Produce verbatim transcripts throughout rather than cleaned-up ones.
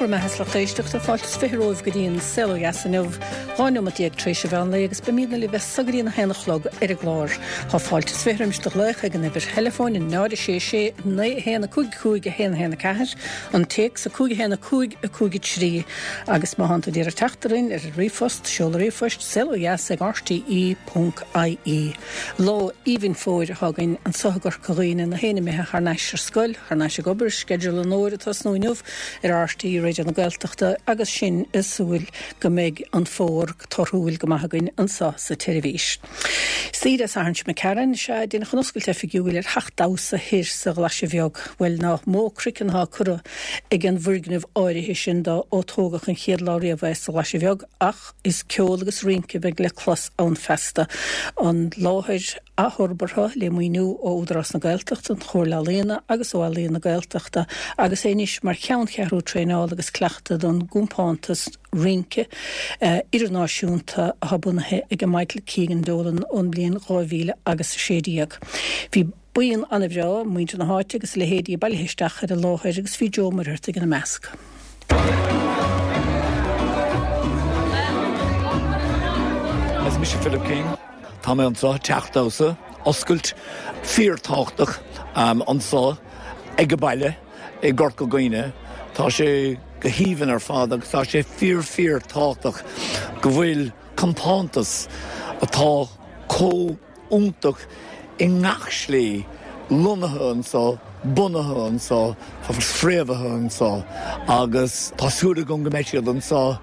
bhur mbeatha, a lucht éisteachta. Fáilte is fiche romhaibh go dtí an Saol Ó Dheas inniu, dhá neomat déag tar éis an mheán lae, agus beimidne libh as so go dtí a haon a chlog ar an gclár. Tá fáilte is fiche roimis do ghlaoch ag an uimhir theileafóin náid a sé sé naoi a haon a cúig cúig a haon a haon a ceathair, an téacs a cúig a haon a cúig a cúig a trí, agus má thánn tú ag iarraidh teacht orainn ar an ríomhphost, seoladh ríomhphoist saol ó dheas ag R T E ponc I E. Lá aoibhinn fómhair atá againn anseo i gCorca Dhuibhne, na héin imithe thar n-ais ar scoil, thar n-ais ag obair. Sceideal an fhómhair ag tosnú inniu ar R T E Raidió na Gaeltachta, agus sinn ag súil go mbeidh an fómhar torthúil go maith againn anseo sa tseirbhís. Oíche Dé Sathairn seo chugainn sea déanfar an oscailt oifigiúil ar theach damhsa thoir sa Ghlaise Bheag. Bhuel, nach mó craiceann atá curtha ag an bhfoirgneamh áirithe sin dá ó tógadh an chéad lá riamh é sa Ghlaise Bheag, ach is ceol agus rince a bheidh le clos ann feasta. An láthair athfhorbartha le maoiniú ó Údarás na Gaeltachta, an Chomhairle Ealaíon agus ó Ealaíon na Gaeltachta, agus é anois mar cheanncheathrú traenála agus cleachta don gcompántas rince uh, idirnáisiúnta atá bunaithe ag Michael Keegan Dolan ón bliain dhá mhíle agus sé déag. Bhí buíon an-bhreá, muintir na háite agus leithéidí, bailithe isteach ar an láthair, agus bhí Joe Muirheart ina measc. Is mise Philip King. Tá mé anseo, teach damhsa, oscailt fíorthábhachtach um, anseo ag an baile i gCorca Dhuibhne. Tá sé go haoibhinn ar fad agus tá sé fíor fíor tábhachtach go bhfuil compántas atá chomh hiontach i ngach slí lonnaithe anseo, bunaithe anseo, fréamhaithe anseo, agus tá súil agam go mbeidh siad anseo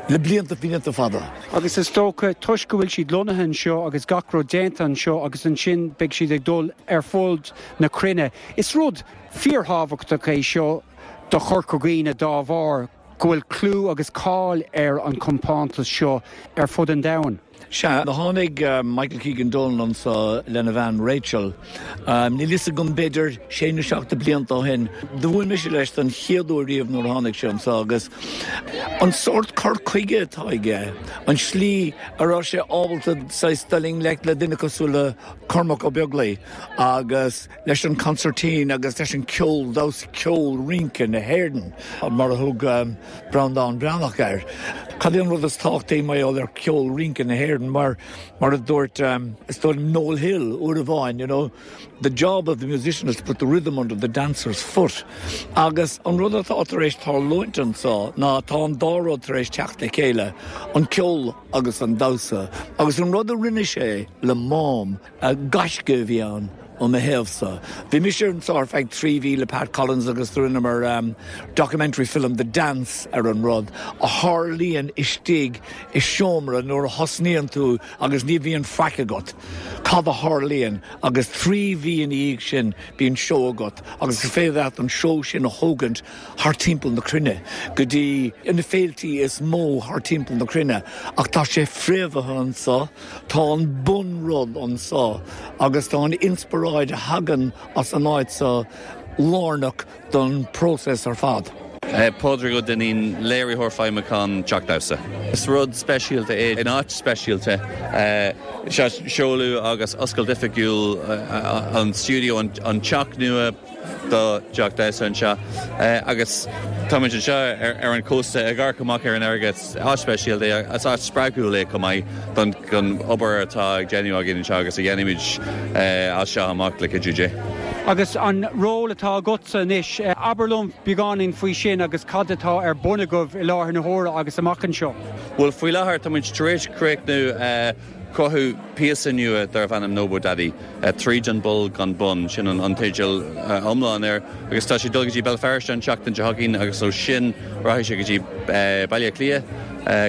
le blianta blianta fada. Agus is dócha toisc go bhfuil siad lonnaithe anseo agus gach rud déanta anseo, agus ansin beidh siad ag dul ar fud na cruinne. Is rud fíorthábhachtach é seo do Chorca Dhuibhne dá bharr go bhfuil clú agus cáil ar an compántas seo ar fud an domhain. Sea, tháinig uh, Michael Keegan Dolan anseo lena bhean Rachel. Um, Níl a fhios agam, b'fhéidir sé nó seacht blianta ó shin. Do bhuail mise leis don chéad uair riamh nuair tháinig sé anseo, agus an sórt cur chuige atá aige, an slí a raibh sé ábalta dul i ngleic le duine cosúil le Cormac Ó Beaglaoich agus leis an concertina agus leis an ceol damhsa, ceol rince na hÉireann mar a thug um, Breandán Breathnach air. Cad é an rud is tábhachtaí mar ar ceol rince na hÉireann, mar mar a dúirt um, is dóigh Noel Hill uair amháin, you know, the job of the musician is to put the rhythm under the dancer's foot. Agus an rud atá tar éis tarlúint anseo ná tá an dá rud tar éis teacht le chéile, an ceol agus an damhsa, agus an rud a rinne sé le Mám, gaisce a bhí ann ó mo thaobhsa. Bhí mise anseo ar feadh trí mhí le Pat Collins agus rinneamar um, documentary film The Dance ar an rud a tharlaíonn istigh i seomra nuair a thosnaíonn tú agus ní bhíonn faic agat. Cad a tharlaíonn agus trí mhí ina dhiaidh sin bíonn seó agat, agus is féidir leat an seó sin a thógaint thar timpeall na cruinne go dtí na féiltí is mó thar timpeall na cruinne, ach tá sé fréamhaithe anseo, tá an bunrud anseo, agus tá an inspioráid a thagann as an áit seo lárnach don próiseas ar fad. Uh, Pádraig Ó Duinnín, léiritheoir feidhmiúcháin Teach Damhsa. Is rud speisialta é in áit speisialta, uh, seoladh agus oscailt oifigiúil uh, an stiúideo, an, an teach nua do Teach Damhsa anseo, agus táimid anseo ar, ar an cósta ag amharc amach ar an fharraige. Áit speisialta é, is áit spreagúil é chomh maith don don obair atá ag déanamh againn anseo agus a dhéanfaimid as seo amach le cuidiú Dé. Agus an ról atá agatsa anois, abair liom beagáinín faoi sin agus cad atá ar bun agaibh i láthair na huaire agus amach anseo. Well, faoi láthair táimid tar éis críochnú cruthú píosa nua darbh ainm Nobo Daddy, tríd an bpoll gan bun, sin an an teideal iomlán air, agus tá sé dul go dtí Béal Feirste an tseachtain seo chugainn, agus ó sin rachaidh sé go dtí Baile Átha Cliath,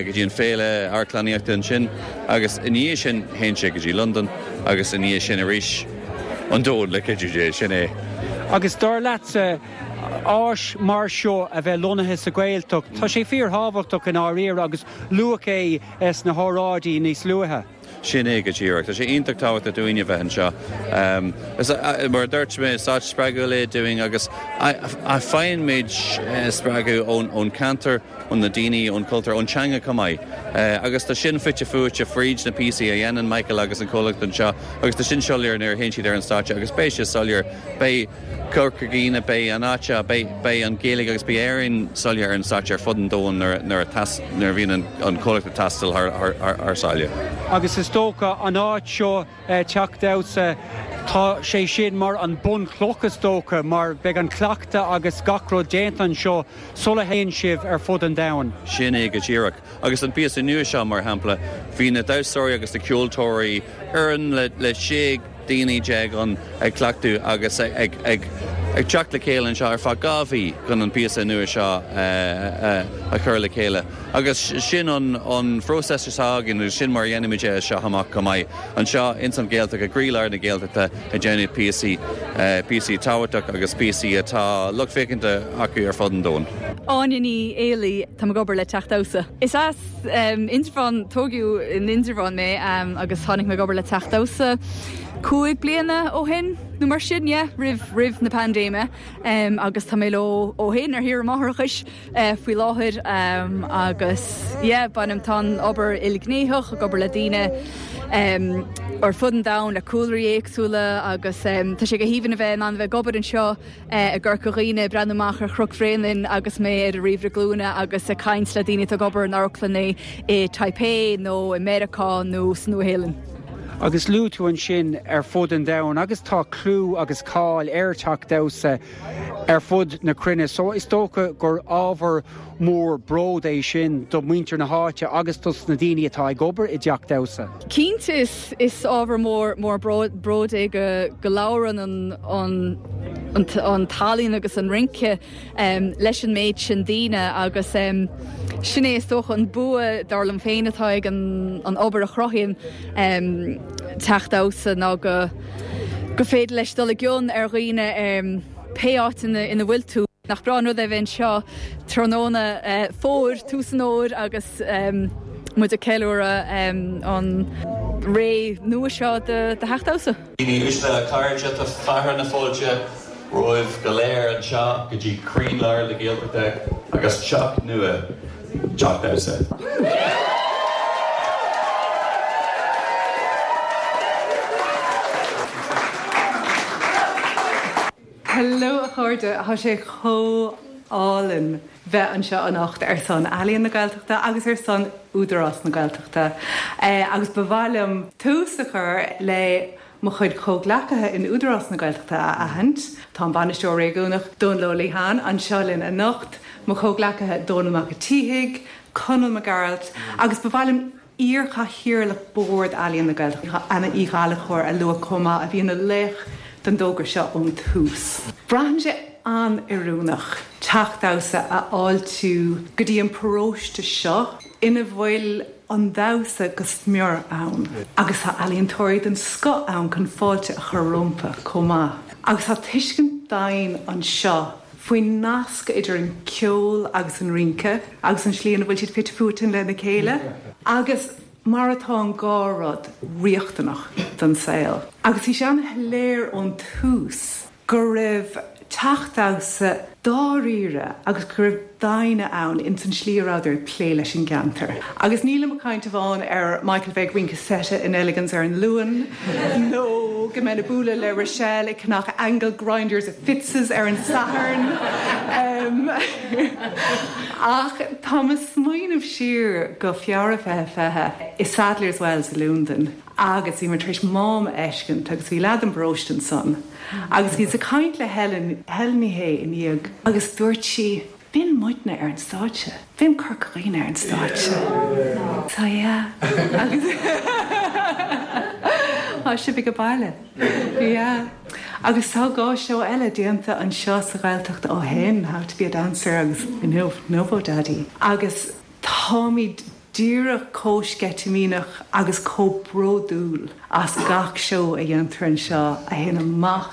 go dtí an féile amharclannaíochta ansin, agus i ndiaidh sin théann sé go dtí London, agus i ndiaidh sin arís an domhan le cuidiú Dé, sin é. Agus dar leatsa, áis mar seo a bheith lonnaithe sa Ghaeltacht, tá sé fíorthábhachtach in áiríre, agus luadh é sna hóráidí níos luaithe. Sin é go díreach. Tá sé iontach tábhachtach dúinn a bheith anseo. Um, mar dúirt mé is áit spreagúil é dúinn agus faighimid eh, spreagadh ón ón ceantar ón na daoine ón cultúr ón teanga chomh maith. Uh, agus tá sin fite fuaite fríd na píosaí a dhéanann Michael agus an comhlacht anseo agus tá sin soiléir nuair a théann siad ar an stáitse agus beidh sé soiléir beidh Corca Dhuibhne beidh an áit beidh an Ghaeilge agus beidh Éirinn soiléir ar an stáitse ar fud an domhain nuair a bhíonn an comhlacht ag taisteal thar sáile. Agus is dócha an áit seo eh, Teach Damhsa tá sé sin mar an bunchloch is dócha mar beidh an cleachtadh agus gach rud déanta anseo sula théann sibh ar fud an domhain. Sin é go díreach. Agus an píosa nua seo mar shampla, bhí na damhsóirí agus na ceoltóirí ar le le sé daoine déag an ag cleachtadh agus ag ag ag teacht le chéile anseo ar feadh dhá mhí chun an píosa nua seo a chur le chéile. Agus sin an an phróiseas againn sin mar dhéanaimid é seo amach go maith. Anseo ins an Ghaeltacht i gcroílár na Gaeltachta ag déanamh píosaí píosaí tábhachtacha agus píosaí atá lucht féachana acu ar fud an domhain. Áine Ní Éalaí tá ag obair le Teach Damhsa. Is as um, Indreabhán tógadh in Indreabhán mé um, agus tháinig mé obair le Teach Damhsa. Cúig bliana ó shin nó mar sin yeah, roimh roimh na paindéime um, agus tá mé leo ó shin ar shaoire máithreachais uh, faoi láthair um, agus yeah, bainim tá obair ilghnéitheach ag obair le daoine um, ar fud an domhain le cúlraí éagsúla agus um, tá sé go haoibhinn a bheith an bheith ag obair anseo uh, i gCorca Dhuibhne breathnú amach ar Chnoc Bhréanainn agus mé ar ríomhaire glúine agus ag caint le daoine ag obair in amharclanna i Taipei nó i Meiriceá nó sa Nua-Shéalainn. Agus luaigh tú ansin ar fud an domhain agus tá clú agus cáil ar Teach Damhsa ar fud na cruinne, so is dócha gur ábhar mór bród é sin do mhuintir na háite agus dos na daoine atá ag obair i dTeach Damhsa. Cinnte is is ábhar mór mór bród é go go labhrann an an an, an t-ealaín agus an rince um, leis an méid sin daoine agus um, sin é is dócha an bua dar liom féin atá ag an, an obair a chruthaíonn um, Teach Damhsa ná go go féidir leis dul i gcion ar dhaoine um, pé áit ina, ina bhfuil tú. Nach breá an rud é bheith anseo tráthnóna uh, fómhair tús an fhómhair agus um, muid ag ceiliúradh um, an ré nua seo de, de Theach Damhsa. Daoine uaisle cairde tá fearadh na fáilte romhaibh go léir anseo go dtí croílár na Gaeltachta agus teach nua Teach Damhsa. Hello a chairde tá sé chomh hálainn bheith anseo anocht ar son Ealaíon na Gaeltachta agus ar son Údarás na Gaeltachta. Eh, agus ba mhaith liom tús a chur le mo chuid comhghleacaithe in Údarás na Gaeltachta a aithint, Tá an bainisteoir réigiúnach Dónal Ó Liatháin anseo linn anocht, mo chomhghleacaithe Dónall Mac an tSíthigh, Conall Mac Gearailt, agus ba mhaith liom iarchathaoirleach Bord Ealaíon na Gaeltachta Anna Uí Ghallchóir a lua chomh maith a bhí ina laoch den dtogra seo ón tús. Braitheann sé an-oiriúnach Teach Damhsa a fháiltiú go dtí an paróiste seo ina bhfuil an damhsa go smior ann agus tá ealaíontóirí den scoth ann chun fáilte a chur rompu chomh maith. Agus tá tuiscint domhain anseo faoin nasc idir an ceol agus an rince agus an slí ina bhfuil siad fite fuaite lena chéile agus mar atá an dhá rud riachtanach don saol. Agus bhí sé an-shoiléir ón tús go raibh Teach Damhsa dáiríre agus go raibh daoine ann ins an slí a rabhadar ag plé leis an gceantar. Agus nílim ag caint amháin ar Michael bheith ag rince seite in Elegans ar an Luan, nó go mbeinn ag bualadh le Rochelle ag ceannach angle grinders i Fitz's ar an Satharn. Um, ach tá mé ag smaoineamh siar go Feabhra fiche fiche i Sadler's Wells i Londain. Agus bhí mé tar éis Mám a fheiscint agus bhí leaid den bparóiste ansan. Agus bhíos ag caint le Helen, Helen Ní Shé i ndiaidh agus dúirt sí, B'in muidne ar an stáitse, b'in Corca Dhuibhne ar an stáitse. So yeah. Agus tá sibh ag baile. Yeah. Agus tá dhá seó eile déanta anseo sa Ghaeltacht ó shin, How to be a Dancer agus inniu Novo Daddy. Agus táimid díreach chomh sceitimíneach agus chomh bródúil as gach seó a dhéantar anseo a théann amach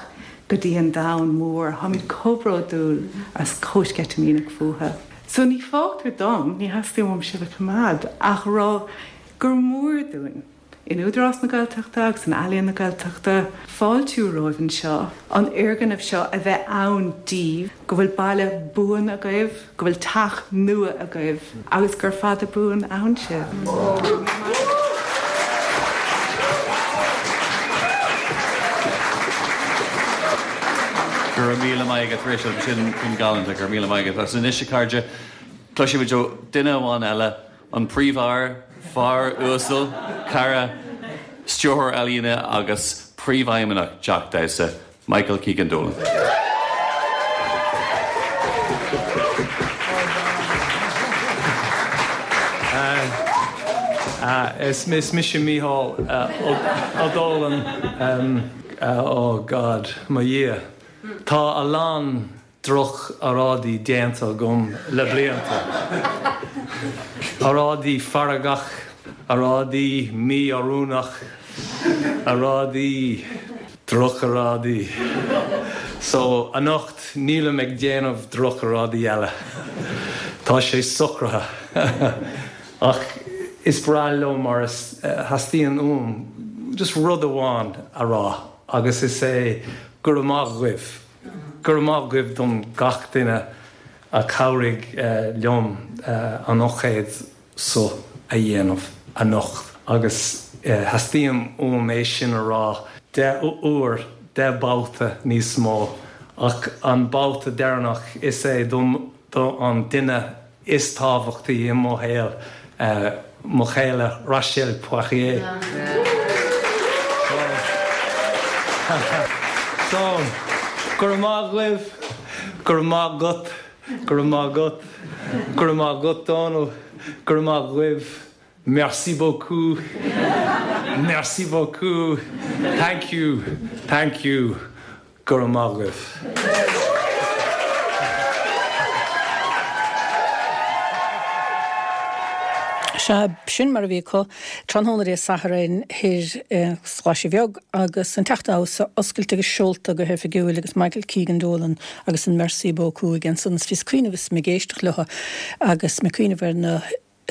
go dtí an domhan mór. Táimid chomh bródúil agus chomh sceitimíneach fúthu. So ní fágtar dom, ní theastaíonn uaim sibh a choimeád, ach rá gur mór dúinn in Údarás na Gaeltachta agus in Ealaíon na Gaeltachta fáiltiú romhaibh anseo an fhoirgneamh seo a bheith ann daoibh, go bhfuil baile buan agaibh, go bhfuil teach nua agaibh agus gur fada buan ann sibh. Go raibh míle maith agat Rachel sin sin galánta go raibh míle maith agat agus anois a chairde cloisfimid ó duine amháin eile an príomhfhear fear uasal cara stiúrthóir ealaíne agus príomhfheidhmeannach Teach Damhsa Michael Keegan Dolan. Uh, is is mise Mícheál uh, Ó Dólann um, uh, oh God mo Dhia. Tá a lán droch-oráidí déanta agam le blianta. Oráidí feargach, oráidí mí-oiriúnach, oráidí drochoráidí. So anocht nílim ag déanamh drochoráidí eile. Tá sé socraithe. Ach is breá liom mar is theastaíonn uaim just rud amháin a rá agus is é go raibh maith agaibh. Go raibh maith agaibh don gach duine a chabhraigh uh, liom uh, an ócáid seo a dhéanamh anocht agus uh, theastaíonn uaim é sin a rá deich uair deich babhta níos mó ach an babhta deireanach is é dom do an duine is tábhachtaí i mo shaol uh, mo chéile Rachel Poirier. So, go raibh maith agaibh, go raibh maith agat, go raibh maith agat, go raibh maith agat Dónal, go raibh maith agaibh, merci beaucoup, merci beaucoup, thank you, thank you, go raibh maith agaibh. Sea, sin mar a bhí acu tráthnóna Dé Sathairn thoir sa Ghlaise Bheag agus an Teach Damhsa oscailte agus seolta go hoifigiúil agus Michael Keegan Dolan agus an Merci beaucoup again san is bhíos ag cuimhneamh is mé ag éisteacht leo agus mé ag cuimhneamh ar na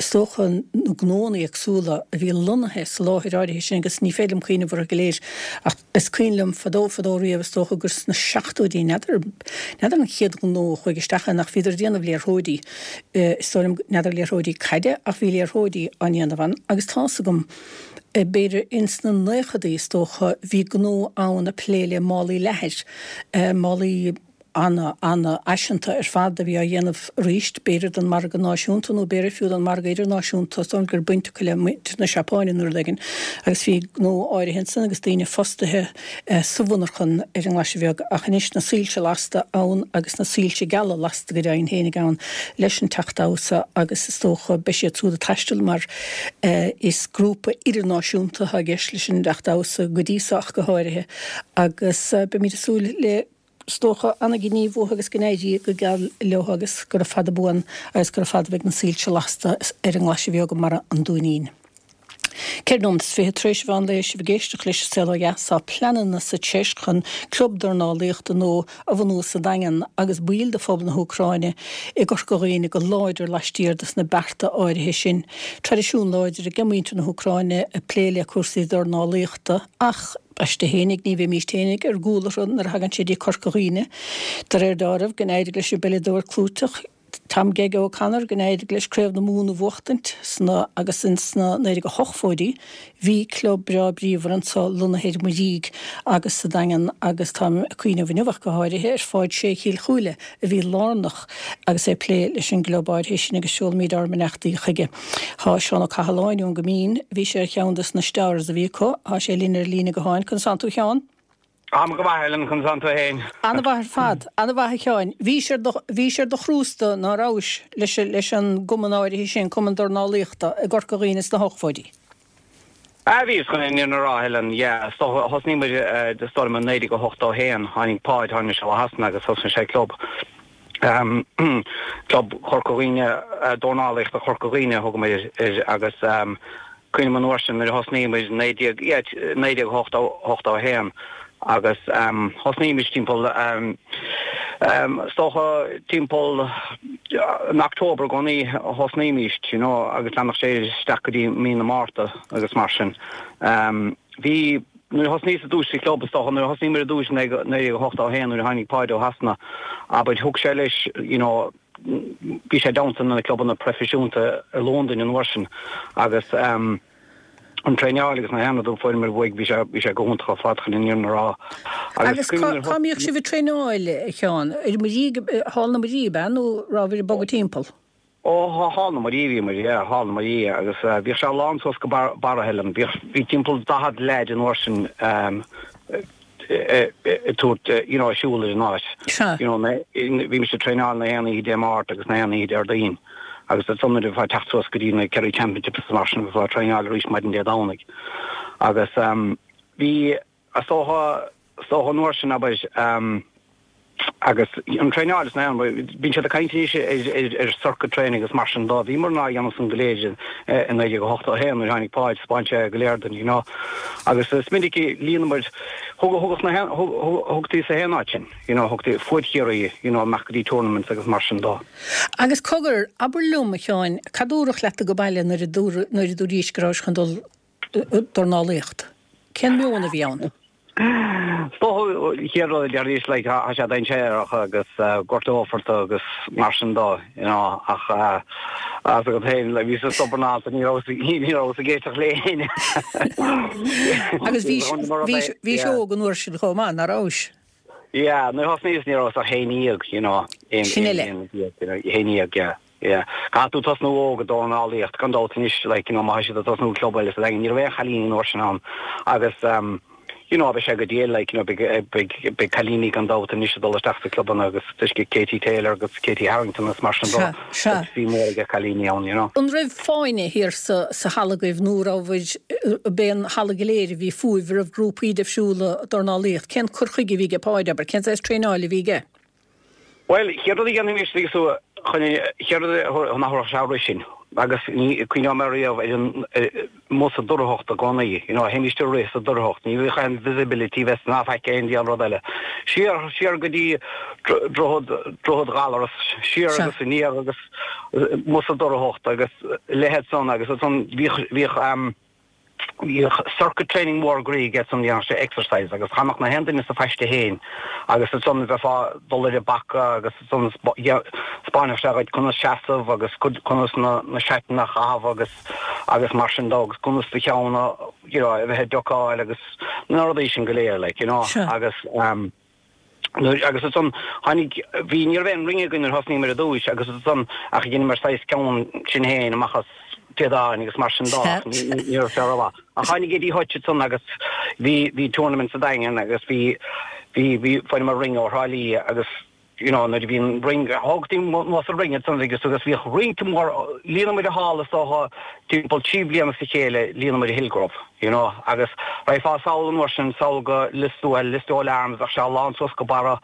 is dócha na gnónna éagsúla a bhí lonnaithe sa láthair áirithe sin agus ní féidir liom cuimhneamh orthu go léir ach is cuimhin liom fadó fadó riamh is dócha gur sna seachtóidí n'fheadar n'fheadar an chéad ghnó a chuaigh isteach ann ach bhíodar ag déanamh liathróidí is dóigh liom n'fheadar liathróidí caide ach bhí liathróidí á ndéanamh ann agus tá's agam b'fhéidir ins na naochadaí is dócha bhí gnó ann ag plé le málaí leathair málaí ana ana-fhaiseanta ar fad a bhí á dhéanamh arís, b'fhéidir don margadh náisiúnta nó b'fhéidir fiú don margadh idirnáisiúnta, is dóigh liom go raibh baint acu le muintir na Seapáine nó rud éigin agus bhí gnó áirithe ansan agus daoine fostaithe sa mhonarchan ar an nGlaise Bheag ach anois na soilse lasta ann agus na soilse geala lasta go deimhin fhéinig ann leis an Teach Damhsa agus is dócha beidh siad siúd ag taisteal mar is grúpa idirnáisiúnta atá i gceist leis an dTeach Damhsa go dtí so ach go háirithe agus beimid ag súil le Is dócha, ana-ghníomh uathu agus go n-éirí go geal leo agus gura fada buan agus gura fada a bheidh na soilse lasta ar an nGlaise Bheag i mBarra an Dúinín. Ceithre nóiméad is fiche tar éis an mheán lae sibh ag éisteacht leis an Saol Ó Dheas. Tá pleananna sa Tseis chun club dornálaíochta nua a bhunú sa Daingean agus baill de phobal na hÚcráine i gCorca Dhuibhne go láidir laistiar de sna bearta áirithe sin. Traidisiún láidir ag muintir na hÚcráine ag plé le cúrsaí dornálaíochta ach Aisti fhéinig, ní bheimíst fhéinig ar gcúl orthu nuair a thagann sé dtí Corca Dhuibhne. De réir dealraimh, go n-éirigh leis an bpeileadóir clúiteach Tom Gega O'Connor, go n-éirigh leis Craobh na Mumhan a bhuachtaint sna agus ins na naoi déag ochtóidí bhí club breá bríomhar anso lonnaithe ar Muirígh agus sa Daingean agus táim ag cuimhneamh inniu ach go háirithe ar Pháid Sé Chill Chúile a bhí lárnach agus é ag plé leis an gclub áirithe sin agus seolaimid ár mbeannachtaí chuige. Tá Seán Ó Cathaláin ón gCoimín, bhí sé ar cheann des na stars a bhí acu, tá sé linn ar líne gutháin. Conas tánn tú a Sheáin? Táim go maith, Helen, conas tánn tú fhéin? Ana-mhaith ar fad, ana-mhaith a Sheáin. Bhís ar do, bhís ar do chrústa, ná rabhais, leis, leis an gcumann áirithe sin, Cumann Dornálaíochta, i gCorca Dhuibhne sna hochtóidí? Ah, bhíos chun an fhírinne a rá, Helen, yeah. Thosnaigh muid, is dóigh liom, i naoi déag a hochtó a haon, tháinig Páid, tháinig sé ó Shasana agus thosnaigh sé club, Club Chorca Dhuibhne, Dornálaíochta Chorca Dhuibhne a thug muid air agus cuimhním an uair sin nuair a thosnaigh muid, naoi déag, yeah, naoi déag hochtó, hochtó a haon agus thosnaigh muid timpeall Um, is dócha timpeall in October i gcónaí a thosnaímis, you know, agus leanfadh sé isteach go dtí mí na Márta agus mar sin. Um, bhí nuair a thosnaíos ar dtús sa club is dócha nuair a thosnaíomar ar dtús naoi déag ochtó a haon nuair a tháinig Páid ó Shasana abair thug sé leis you know, bhí sé i dteannta na clubanna proifisiúnta i Londain an uair sin agus um, an traenáil agus na haon rud a fuaireamar uaidh bhí sé bhí sé go hiontach ar fad chun an fhírinne a rá. Agus cá mbíodh sibh ag traenáil a Sheáin? Ar Muirí Hall na Muirí ab ea nó rabhabhair ag bogadh timpeall? Ó Hall na Muirí bhí muid, yeah, Hall na Muirí agus bhíodh sé lán suas go barra a shílim. Bhíodh, bhí timpeall daichead leaid an uair sin ag tabhairt, you know, ag siúl ar an áit. Sea. You know, bhí mise ag traenáil na haon oíche Dé Máirt agus na haon oíche Déardaoin agus ansan nuair a bheifeá ag teacht suas go dtí na Kerry Championships agus mar sin bheifeá ag traenáil arís maidin Dé Domhnaigh. Agus bhí, is dócha, is dócha an uair sin abair, Agus an traenáil is na bíonn siad ag caint anois ar circuit training agus mar sin dó. Bhíomar á dhéanamh san go léir i naoi déag ochtó a haon nuair a tháinig Páid, 'spáin sé go léir dúinn, you know. Agus is minic a líonamar, thugadh na thugtaí sa haon áit sin, you know, thugtaí fuaid Chiarraí, you know, amach go dtí tournaments agus mar sin dó. Agus cogar, abair liom, a Sheáin, cad dúradh leat ag baile nuair a nuair a dúraís go rabhais chun dul dornálaíocht? Cén meon a bhí ann? Is dócha an chéad rud a deiridís like tá sé dainséarach agus gortófar tú agus mar sin dó you know ach as agat féin like bhíos stubborn ábalta ní rabhas ní rabhas ag éisteacht le héinne. Agus bhís bhís bhís óg an uair sin chomh maith, nach rabhais? Yeah, nuair a thosnaíos ní rabhas ach haon déag you know aon Sin aon uile. aon déag you know haon déag yeah yeah. Caithfidh tú tosnú óg ag dornálaíocht gan dabht anois like you know má tá siad ag tosnú club eile sa Daingean ní raibh aon chailíní an uair sin ann agus um you know beidh sé go diail like you know beidh beidh beidh cailíní gan dabht anois ag dul isteach sa clubanna agus tuisce Katie Taylor agus Katie Harrington agus mar sin dó Sea, sea. beidh suim mór ag cailíní ann you know. An raibh fáinne thiar sa sa halla agaibh nó rabhabhair ab é an halla go léir a bhí fúibh, raibh grúpaí difriúla dornálaíocht, cén cur chuige a bhí aige Páid, abair, cén saghas traenáil a bhí aige? Bhuel, chéad rud a dhéanfaimis agus tú chun chéad rud a thabharfadh sé roimh sin agus ní cuimhneoidh mé riamh ar an amuigh sa dorchacht i gcónaí, you know, théimis ag rith sa dorchacht, ní bheadh aon visibility bheith ná faic aon diabhal rud eile. Siar, siar go dtí Droichead, Droichead Ghallaras, siar Sea. agus aniar agus amuigh sa dorchacht agus leithéid san agus ansan bhíodh, bhíodh, Bhíodh circuit training mór groí aige ansan dhéanadh sé exercise agus chanadh na haon duine sa phaiste fhéin agus ansan bheifeá ag dul ar an bpaca agus ansan 'spáinfeadh sé dhuit conas seasamh agus conas na na seatanna a chaitheamh agus agus mar sin dó agus conas do cheann a you know a bheith ag ducáil agus na rudaí sin go léir like you know agus um Nuair, agus ansan tháinig, bhí, ní raibh aon ring againn nuair a thosnaíomar ar dtúis agus ansan ach dheineamar saghas ceann sinn féin amach as téadáin agus mar sin dó ach ní, ní, ní raibh sé rómhaith. Ach tháinig Eddie Hutch ansan agus bhí, bhí tournament sa Daingean agus bhí, bhí, bhí, fuaireamar ring ó Thrá Lí agus you know nuair a bhí an ring, thógtaí anuas an ring ansan agus agus bhíodh rince mór, líonamar an halla is dócha timpeall trí bliana as a chéile líonamar an Hillgrove. You know, agus raghfá sall an uair sin, sall go Listowel, Listowel Arms, bheadh sé lán suas go barra,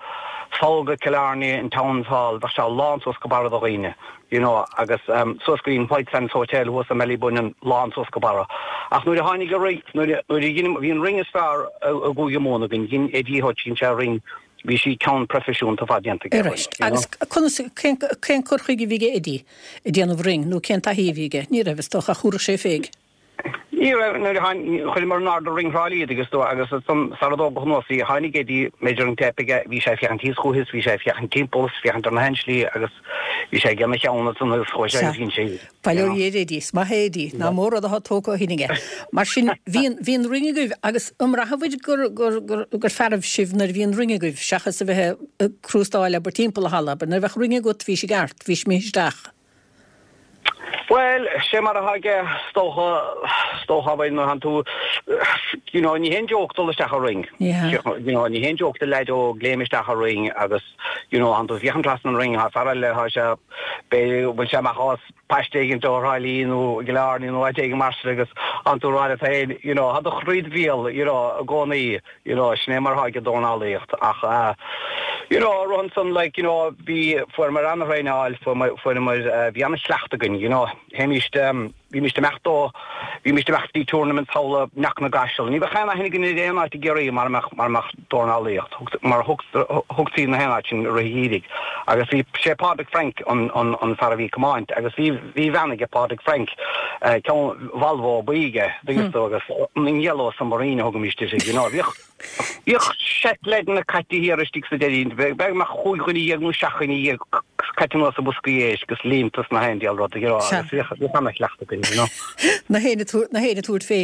sall go Killarney, an Town Hall, bheadh sé lán suas go barra de dhaoine, you know, agus um, suas go dtí an White Sands Hotel thuas i mBallybunion, lán suas go barra. Ach nuair a tháinig an ring, nuair a, nuair a dhein, bhí an ring is fearr i gCúige Mumhan againn, dhein Eddie Hutch, dhein sé ring, bhí sí ceann proifisiúnta ar fad déanta aige Arís, you know. agus conas, cén, cén cur chuige a bhí aige Eddie ag déanamh ring, nó cén taithí a bhí aige? Ní raibh, is dócha, ach thabharfadh sé féig. Ní raibh, nuair a tháinig, chuireamar in airde ring Thrá Lí agus tú agus ansan sara dtógadh anuas í, tháinig Eddie, measuring tape aige, bhí sé ag féachaint thíos chúithi is bhí sé ag féachaint timpeall is féachaint ar na haon slí agus bhí sé ag déanamh a cheann ansan agus chuaigh sé Sea. agus dhein sé í, you Bail ó know. Dhia ar Eddie, is maith é Eddie, nach mór rud atá tógtha ó shin aige. Mar sin, bhí an, bhí an ring agaibh agus an mbraithfeá gur, gur, gur, gur fearr sibh nuair a bhí an ring agaibh seachas a bheith ag crústáil abair timpeall an halla, abair nuair a bheadh ring agat bhís i gceart, bhís imithe isteach. Bhuel, sé mar atá aige, is dócha, is dócha, abair, nuair a tánn tú, you know, ní haon joke dul isteach i ring. Ní hea. You know, ní haon joke do leaid óg léim isteach i ring agus, you know, tánn tú ag féachaint trasna an ring, tá fear eile, tá sé, b'fhéidir go bhfuil sé amach as paiste éigin ó Thrá Lí nó i gCill Airne nó áit éigin mar sin agus tánn tú ag rá leat féin, you know, tá do chroí id bhéal, you know, i gcónaí, you know, sin é mar atá ag dornálaíocht ach eh, you know, rud ansan like, you know, bhí, fuaireamar an-thraenáil, fuaireamar, fuaireamar, eh, bhí an-chleachtadh againn, you know, théimíst, em, bhímis ag imeacht ó, bhímis ag imeacht dtí tournaments thall i Cnoc na gCaiseal. Ní bheadh aon aithne againn ar aon áit i gCiarraí mara mbeadh, mara mbeadh dornálaíocht, mar thugtaí na haon áit sin i rith an gheimhridh. Agus bhí, sé Pádraig Frank an, an, an fear a bhí ag comáint agus bhí, bhí veain aige Pádraig Frank, ceann Volvo buí aige, dtuigeann tú, agus an Yellow Submarine a thugaimis uirthi, you know. Bhíodh, bhíodh seit leaideanna caite thiar istigh sa deireadh, b'fhéidir go mbeadh chúig dhuine dhéag nó seacht dhuine dhéag caite anuas sa bhosca éisc agus líonta sna haon diabhal rud, you know, agus bhíodh, bhíodh ana-chleachtadh againn, you know. Na héinne na héinne tabhairt fé.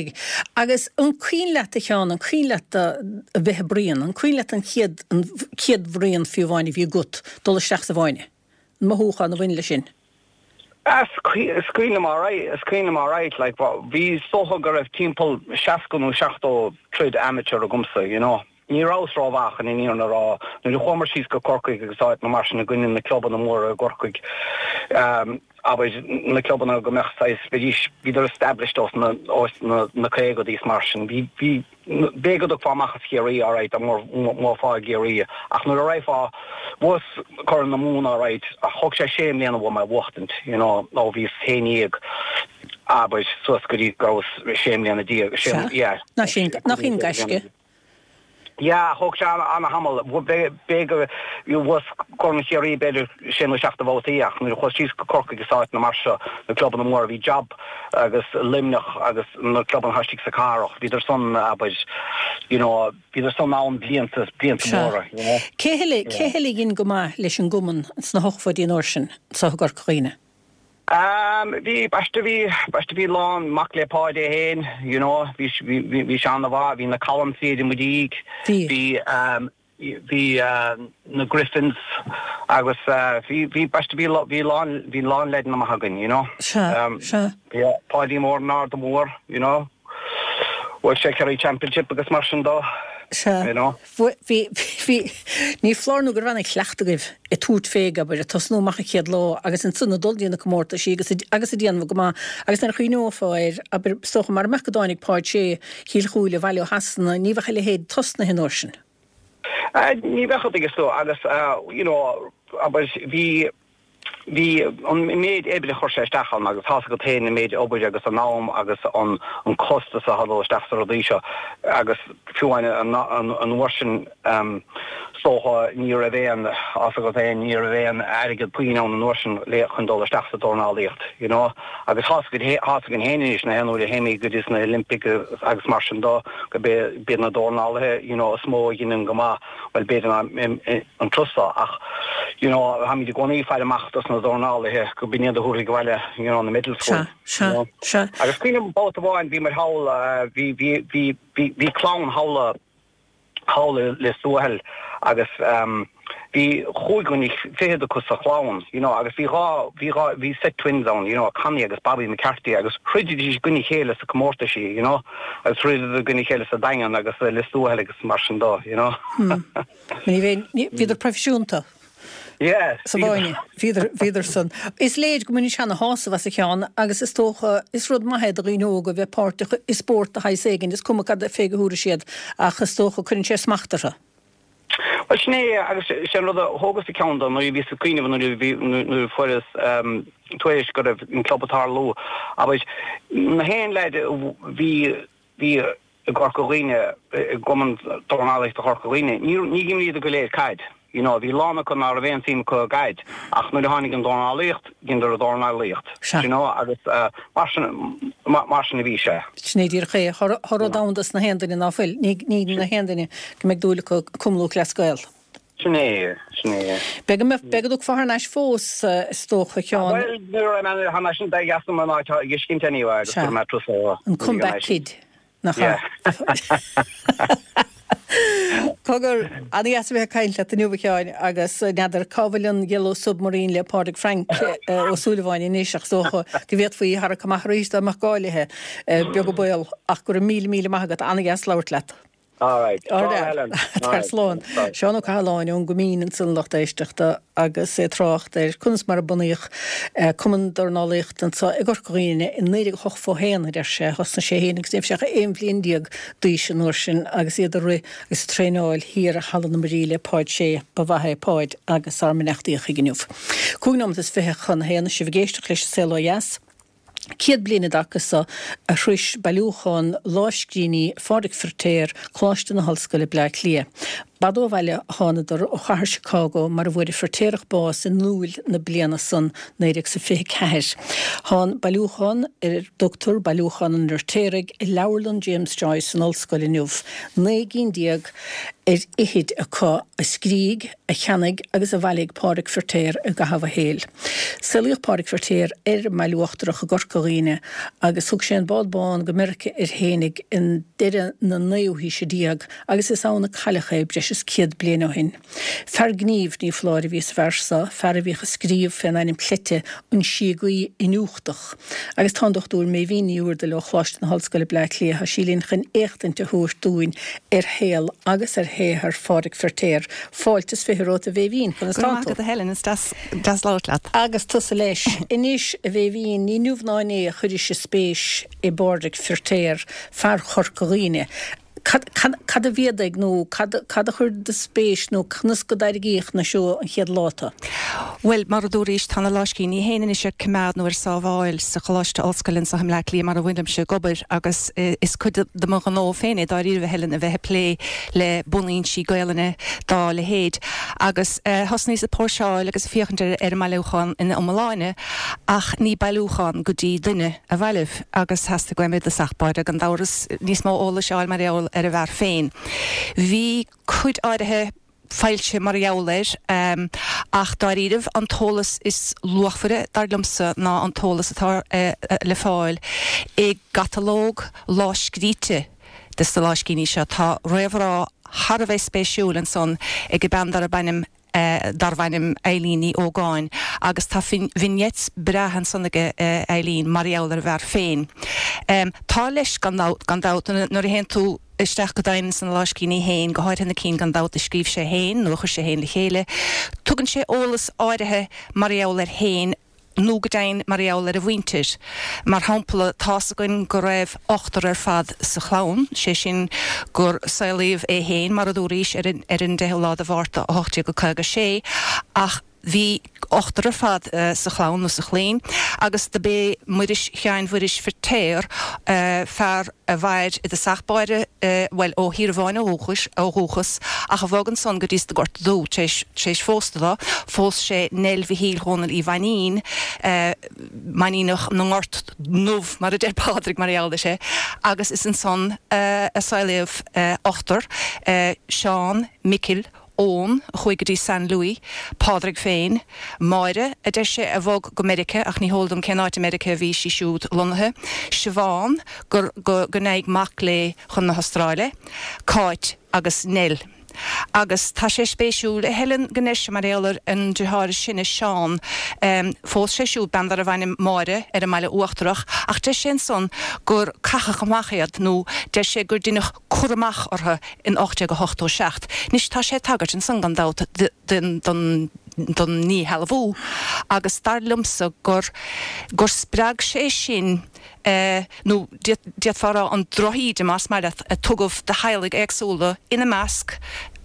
Agus an cuimhin leat a Sheáin, an cuimhin leat a bheith ag bruíon, an cuimhin leat an chéad, an chéad bhruíon fiú amháin a bhí agat, dul isteach sa bhfáinne? An mothúchán a bhain leis sin? Is cuimhin liom alright, is cuimhin liom alright, like, bhí, is dócha go raibh timpeall seasca nó seachtó troid amateur agamsa, you know. Ní rabhas rómhaith chun an fhírinne a rá. Nuair a chuamar síos go Corcaigh agus áiteanna mar sin i gcoinne na clubanna móra i gCorcaigh, abair, na clubanna go mbeadh saghas, bheidís, bhíodar established ós na, ós na, na caogaidí is mar sin. Bhí, bhí, b'fhéidir go dtiocfá amach as Chiarraí alright, dá mbuafá i gCiarraí, ach nuair a raghfá, bhuas Corn na Mumhan alright, ach thóg sé sé mbliana uaim é a bhuachtaint, you know, ó bhíos haon dhéag, abair, suas go dtí go rabhas sé mbliana déag, sé, yeah. Nach sin, nach in gaisce? Yeah, thóg sé ana-thamall. B'fhéidir go bhuas Corn Chiarraí b'fhéidir sé nó seacht de bhabhtaí ach nuair a chuas síos go Corcaigh is áiteanna mar seo, na clubanna móra, bhí Job agus Luimneach agus na clubanna atá istigh sa cathrach, bhíodar san, abair, you know, bhíodar san ann blianta, blianta móra, you know. Cé eile, cé eile a dhein go maith leis an gcumann sna hochtóidí an uair sin, anseo i gCorca Dhuibhne? Um, bhí, b'aisteach, bhí, b'aisteach, bhí lán, mac le Páid é féin, you know, bhí, bhí, bhí, bhí sé ana-mhaith, bhí na Collins i mo dhiaidh, Bhí. bhí, um, bhí, uh, na Griffins agus, uh, bhí, bhí, b'aisteach, bhí, bhí lán, bhí lán leideanna maith againn, you know. Sea, Um, sea. bhí Páidí Mór an Arda Mór, you know. Bhuaigh sé Kerry Championship agus mar sin dó, Sea. you know. Bhí, bhí, ní foláir nó go raibh an-chleachtadh agaibh ag tabhairt fé, abair, ag tosnú amach an chéad lá agus ansan ag dul dtí na comórtaisí agus agus ag déanamh go maith agus nuair a chuimhneofá air, abair, is dócha mara mbeadh go dtáinig Páid Sé Chill Chúile abhaile ó Shasana, ní bheadh a leithéid tosnaithe an uair sin. Uh, ní bheadh a dtuigeann tú agus, uh, you know, abair, bhí, bhí an méid oibre a chuir sé isteach ann agus tá's agat féin an méid obair agus an am agus an an costas a dul isteach sa rudaí seo agus fiú an an an uair sin um, is dócha ní raibh aon tá's agat féin ní raibh aon airgead puinn ann an uair sin le chun dul isteach sa dornálaíocht you know agus tá's agat tá's againn féin anois na haon uair a théimid go dtí na Olympic agus mar sin dó go b'iad na dornálaithe you know is mó a dhéanann go maith well b'fhéidir an trusta ach you know táimid i gcónaí ag faire amach dos na dornálaithe go b'in iad a thabharfaidh abhaile you know na medals Sea, sea, sea. Agus cuimhním babhta amháin bhí mar thall bhí bhí bhí bhí bhí clann thall thall i Lios Tuathail agus um, bhí chúig dhuine fichead acu sa chlann you know agus bhí dhá bhí dhá bhí set twins ann you know Connie agus Bobby McCarthy agus throididís i gcoinne a chéile sa comórtaisí you know agus throideadar i gcoinne a chéile sa Daingean agus i Lios Tuathail agus mar sin dó you know. Hmm. Ní bhíonn bhíodar proifisiúnta. Yeah. Sa bhfáinne, bhíodar bhíodar san. Is léir go mbaineann sé ana-shásamh as a Sheáin agus is dócha is rud maith é do dhaoine óga a bheith páirteach i spórt de shaghas éigin, is cuma cad fé go thabharfaidh siad ach is dócha cuireann sé smacht orthu. Well sin é agus sin rud a thógas a ceann dó nuair a bhíos ag cuimhneamh nuair a bhí nuair a fuaireas um, tuairisc go raibh an club ag tarlú abair na haon leaid bhí bhí i gCorca Dhuibhne i gCumann Dornálaíochta Chorca Dhuibhne ní ní dh'imríodar go léir caid. You know, bhí lán acu ná raibh aon suim acu i gcaid ach nuair a tháinig an dornálaíocht dheineadar an dornálaíocht. Sea. You know, agus uh, mar sin mar sin a bhí sé. Sin é díreach é tá rud ann dos na haon duine ná fuil, ní ní na haon duine go mbeidh dúil acu Cumann Lúthchleas Gael. Sin é sin é. Beidh go beidh go dtiocfá thar n-ais fós is dócha a Sheáin. Well nuair a mé thar n-ais an beidh as an áit dhiscint anyway agus Sea. gur mé tusa An comeback kid. Nach Yeah. Cogar an-deas a bheith ag caint leat inniu a Sheáin agus n'fheadar cá bhfuil an Yellow Submarine le Pádraig Frank Ó Súilleabháin anois ach is dócha go bhféadfaí a tharrac amach arís dá mbeadh gá léi beag an baol ach go raibh míle míle maith agat an-deas labhairt leat. All right. Tar slán. Seán Ó Cathaláin ón gCoimín ansan lucht éisteachta agus é ag trácht ar conas mar a bunaíodh Cumann Dornálaíochta anseo i gCorca Dhuibhne i naoi déag ochtó haon a deir sé thosnaigh sé féin agus ní raibh sé ach aon bhliain déag d'aois an uair sin agus iad ag rith agus ag traenáil thiar i Halla na Muirí le Páid Sé ba mhaith é Páid agus ár mbeannachtaí chuige inniu. Cúig nóiméad is fiche chun a haon sibh ag éisteacht leis an Saol Ó Dheas. Céad bliain i dtaca so a shroich bailiúchán lámhscríbhinní Phádraig Feiritéar Coláiste na hOllscoile Bleá Cliath. B'fhada ó bhaile a thánadar ó chathair Chicago mar a bhfuair an Feiritéarach bás in Iúil na bliana san naoi déag is a fiche ceathair. Tá an bailiúchán ar a dtugtar Bailiúchán an Fheirtéaraigh i Leabharlann James Joyce san Ollscoil inniu, naoi gcinn déag ar fhichid acu a scrígh, a cheannaigh agus a bhailigh Pádraig Feiritéar i gcaitheamh a shaoil. Saolaíodh Pádraig Feiritéar ar an mBaile Uachtarach i gCorca Dhuibhne agus thug sé an bád bán go Meiriceá air fhéinig i ndeireadh na naoú haoise déag agus is ann a cailleadh é breis is céad bliain ó shin. Fear gnímh, ní foláir, a bhí sa bhfear so, fear a bhíodh ag scríobh fén ainm cleite An Síogaí Iniúchtach. Agus tá an Dochtúir Méibhín Ní Úrdail ó Choláiste na hOllscoile Bleá Cliath, tá sí linn chun éachtaint a thabhairt dúinn ar shaol agus ar shaothar Phádraig Feiritéar. Fáilte is fiche romhat a Mhéibhín, conas Go tá raibh maith tú? agat a Helen, is deas deas labhairt leat. Agus tusa leis. Anois, a Mhéibhín, ní inniu ná inné a chuiris spéis i bPádraig Feiritéar, fear Chorca Dhuibhne. Cad, cad, cad a mhéadaigh nó cad, cad a chuir do spéis nó conas go dtarraingíodh na seo an chéad lá tú? Bhuel, mar a dúraís, tá na lámhscríbhinní féin anois ar coimeád nó ar sábháil sa Choláiste Ollscoile anseo i mBleá Cliath mar a bhfuilimse ag obair agus is cuid de mo ghnó féin é dáiríre Helen a bheith ag plé le bunfhoinsí Gaelainne dá leithéid. Agus thosnaíos ag póirseáil agus ag féachaint ar ar an mbailiúchán ina iomláine ach ní bailiúchán go dtí duine a bhailigh agus theastaigh uaim i dtosach báire gan dabhras níos mó eolais a fháil mar gheall ar an bhfear féin. Bhí cuid áirithe foilsithe mar gheall air, ach dáiríribh an t-eolas is luachmhaire dar liomsa ná an t-eolas atá le fáil i gcatalóg lámhscríte de sna lámhscríbhinní seo. Tá réamhrá thar a bheith spéisiúil ansan ag bean darb ainm darbh ainm Eileen Ní Ógáin agus tá vignettes breátha ansan aige Eileen mar gheall ar an bhfear féin. Tá leis gan gan dabht nuair a théann tú isteach go domhain sna lámhscríbhinní féin, go háirithe na cinn gan dabht a scríobh sé féin nó a chuir sé féin le chéile, tugann sé eolas áirithe mar gheall air féin nó go deimhin mar gheall ar a mhuintir. Mar shampla, tá's againn go raibh ochtar ar fad sa chlann, sé sin gur saolaíodh é féin, mar a dúraís, ar an ar an deichiú lá de Mhárta ocht déag caoga sé, ach bhí ochtar ar fad sa chlann nó sa chlainn agus do b'é Muiris Sheáin Mhuiris Feirtéar, fear a mhair i dtosach báire, bhuel, ó Thír Bháin ó dhúchas, ó dhúchas, ach a bhog ansan go dtí sa Gort Dubh tar éis, tar éis phósta dó, phós sé Nell Mhichíl Dhónaill Uí Mhainín, Mainíneach na nGort nDubh, mar a deir Pádraig mar gheall air, agus is ansan a saolaíodh ochtar, Seán, Micil, Eoin, a chuaigh go dtí San Louis, Pádraig féin, Máire, a deir sé, a bhog go Meiriceá, ach ní heol dom cén áit i Meiriceá a bhí sí siúd lonnaithe, Siobhán, gur, go, go ndeachaigh mac léi chun na hAstráile, Cáit agus Nell. Agus tá sé spéisiúil, a Helen, go ndeir sé mar gheall ar an deartháir is sine, Seán, phós sé siúd bean darbh ainm Máire ar an mBaile Uachtarach, ach deir sé ansan gur caitheadh amach iad, nó deir sé gur deineadh cur amach orthu in ocht déag ochtó seacht. Anois tá sé ag tagairt ansan gan dabht don don ndíshealbhú agus dar liomsa gur gur spreag sé sin nó d'fhéadfá a rá an drochíde más maith leat a tugadh do theaghlaigh éagsúla, ina measc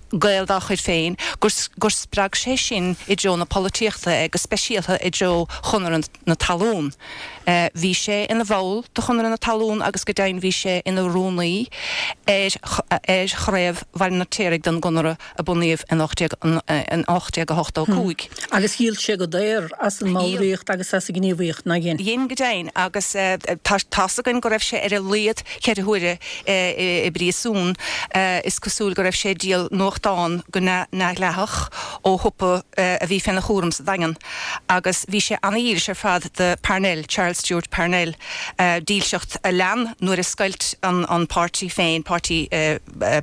Gaeil dá chuid féin, gur gur spreag sé sin i dtreo na polaitíochta é, go speisialta i dtreo Chonradh na Talún. Bhí sé ina bhall de Chonradh na Talún agus go deimhin bhí sé ina rúnaí ar ar chraobh Bhaile an Fheirtéaraigh den gConradh a bunaíodh in ocht déag in ocht déag a hochtó cúig. Agus dhíol sé go daor as an mballraíocht agus as an ngníomhaíocht, nár dhein? Dhein go deimhin agus tá tá's againn go raibh sé ar a laghad ceithre huaire i bpríosún. Is cosúil go raibh sé ag díol nuachtán go neamhdhleathach ó shiopa a bhí féna chúram sa Daingean agus bhí sé ana-dhílis ar fad do Parnell, Charles Stewart Parnell, dílseacht a lean nuair a scoilt an an páirtí féin, Páirtí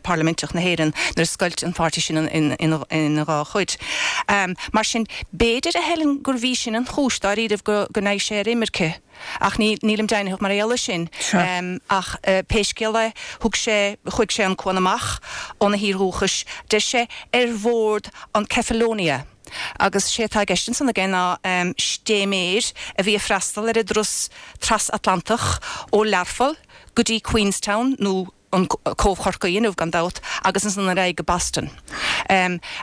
Parlaiminteach na hÉireann, nuair a scoilt an páirtí sin ina dhá chuid. Mar sin, b'fhéidir, a Helen, gurbh í sin an chúis dáiríribh go go ndeachaigh sé ar imirce. Ach ní, nílim deimhnitheach mar gheall air sin. Ach pé scéal é, thug sé, chuaigh sé an cuan amach óna thír dhúchais, deir sé, ar bhord an Cephalonia. Agus sé atá i gceist ansan aige ná stéiméir a bhí ag freastal ar an dturas trasatlantach ó Learpholl go dtí Queenstown nó an Cóbh Chorcaí inniu gan dabht agus ansan ar aghaidh go Boston.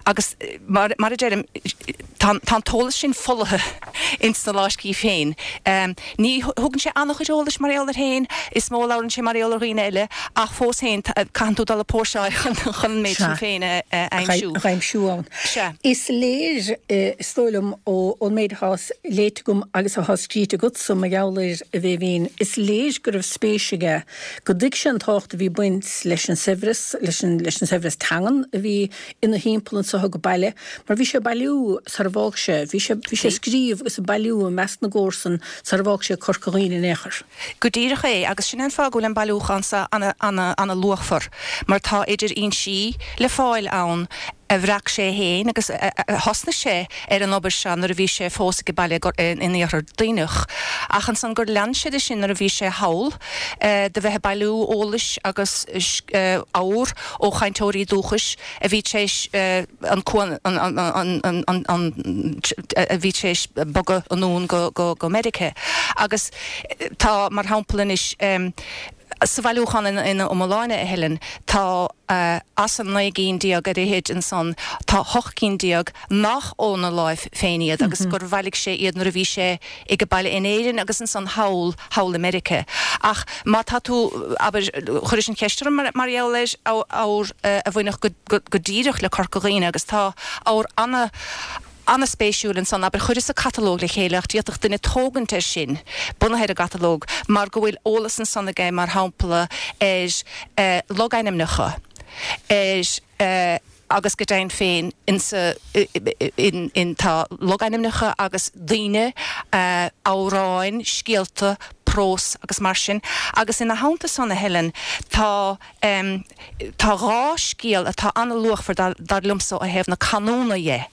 Agus mar a deirim, tá an t-eolas sin folaithe ins na láiscí féin. Ní thugann sé an-chuid eolais mar gheall air féin, is mó a labhrann sé mar gheall ar dhaoine eile, ach fós féin caitheann tú dul ag póirseáil chun an méid sin féin a aimsiú. A aimsiú ann. Is léir, is dóigh liom, ón méid atá léite agam agus atá scríte agatsa mar gheall air, a Bhéibhinn, is léir go raibh spéis aige, go dtuig sé an tábhacht a bhí ag baint leis an saibhreas, leis an leis an saibhreas teangan a bhí ina thimpeall anso age baile, mar bhí sé ag bailiú sar a bhfág sé, bhí sé bhí sé ag scríobh agus ag bailiú i measc na gcomharsan sar a bhfág sé Corca Dhuibhne in aon chor. Go díreach é, agus sin é an fáth go bhfuil an bailiúchán seo ana ana ana luachmhar, mar tá idir fhoinsí le fáil ann a bhreac sé féin agus thosnaigh sé ar an obair seo nuair a bhí sé fós age baile in Iarthar Duibhneach ach ansan gur lean sé de sin nuair a bhí sé thall de bheith ag bailiú eolais agus ábhair ó chainteoirí dúchais a bhí tar éis an an a bhí tar éis bogadh anonn go Meiriceá agus tá mar shampla anois Sa bhailiúchán ina iomláine, a Helen, tá as an naoi gcinn déag ar fhichid ansan, tá hocht gcinn déag nach óna láimh féin iad agus gur bhailigh sé iad nuair a bhí sé age baile in Éirinn agus ansan thall, thall i Meiriceá. Ach má tá tú, abair, chuiris an cheist orm mar gheall ar ábhar a bhainfeadh go díreach le Corca Dhuibhne agus tá ábhar ana, An-spéisiúil ansan, abair, chuireas-sa catalóg le chéile ach d'fhéadfadh duine tógaint air sin, bunaithe ar an gcatalóg, mar go bhfuil eolas ansan aige, mar shampla, ar logainmneacha, ar, agus go deimhin féin, insa, in, in, tá logainmneacha agus daoine, amhráin, scéalta, prós agus mar sin. Agus ina theannta san, a Helen, tá, tá dhá scéal atá an-luachmhar dar, dar liomsa ó thaobh na canúna dhe.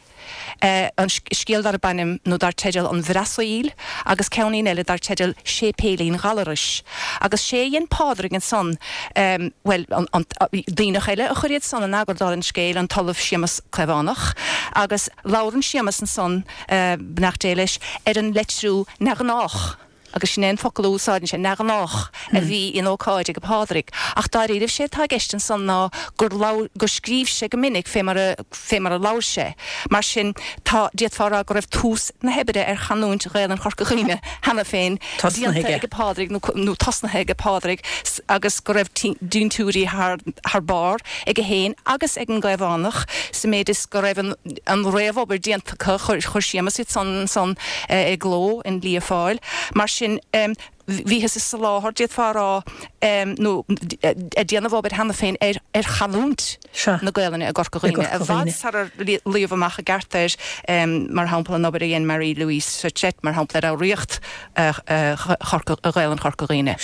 An scéal darb ainm nó dar teideal An Bhrasaíl agus ceainnín eile dar teideal Séipéilín Ghallarais. Agus sé a dhein Pádraig ansan, bhuel, an Duibhneach eile a chuir iad san in eagar dála an scéil, an tOllamh Séamus Caomhánach, agus labhrann Séamus ansan, beannacht Dé leis, ar an leitriú neamhghnách. agus sin é an focal a úsáideann sé, neamhghnách, a bhí in ócáid ag Pádraig. Ach dáiríribh sé atá i gceist ansan ná gur labhair, gur scríobh sé go minic fé mar a, fé mar a labhair sé. Mar sin, tá, d'fhéadfá a rá go raibh tús na hoibre ar chanúint Ghaelainn Chorca Dhuibhne cheana féin Tosnaithe déanta aige. ag Pádraig nó, nó tosnaithe ag Pádraig agus go raibh dintiúirí thar, thar barr aige féin agus ag an gCaomhánach sa méid is go raibh an, an réamhobair déanta acu, chuir, chuir Séamus iad san ansan i gcló in Lia Fáil. Mar sin, bhíothas ag soláthar, d'fhéadfá a rá, nó ag déanamh obair cheana féin ar ar chanúint na Gaelainne i gCorca Dhuibhne, i bhfad sarar luíodh amach i gceart air, mar shampla, an obair a dhein Marie Louise Societte, mar shampla, ar fhoghraíocht Ghaelainn Chorca Dhuibhne.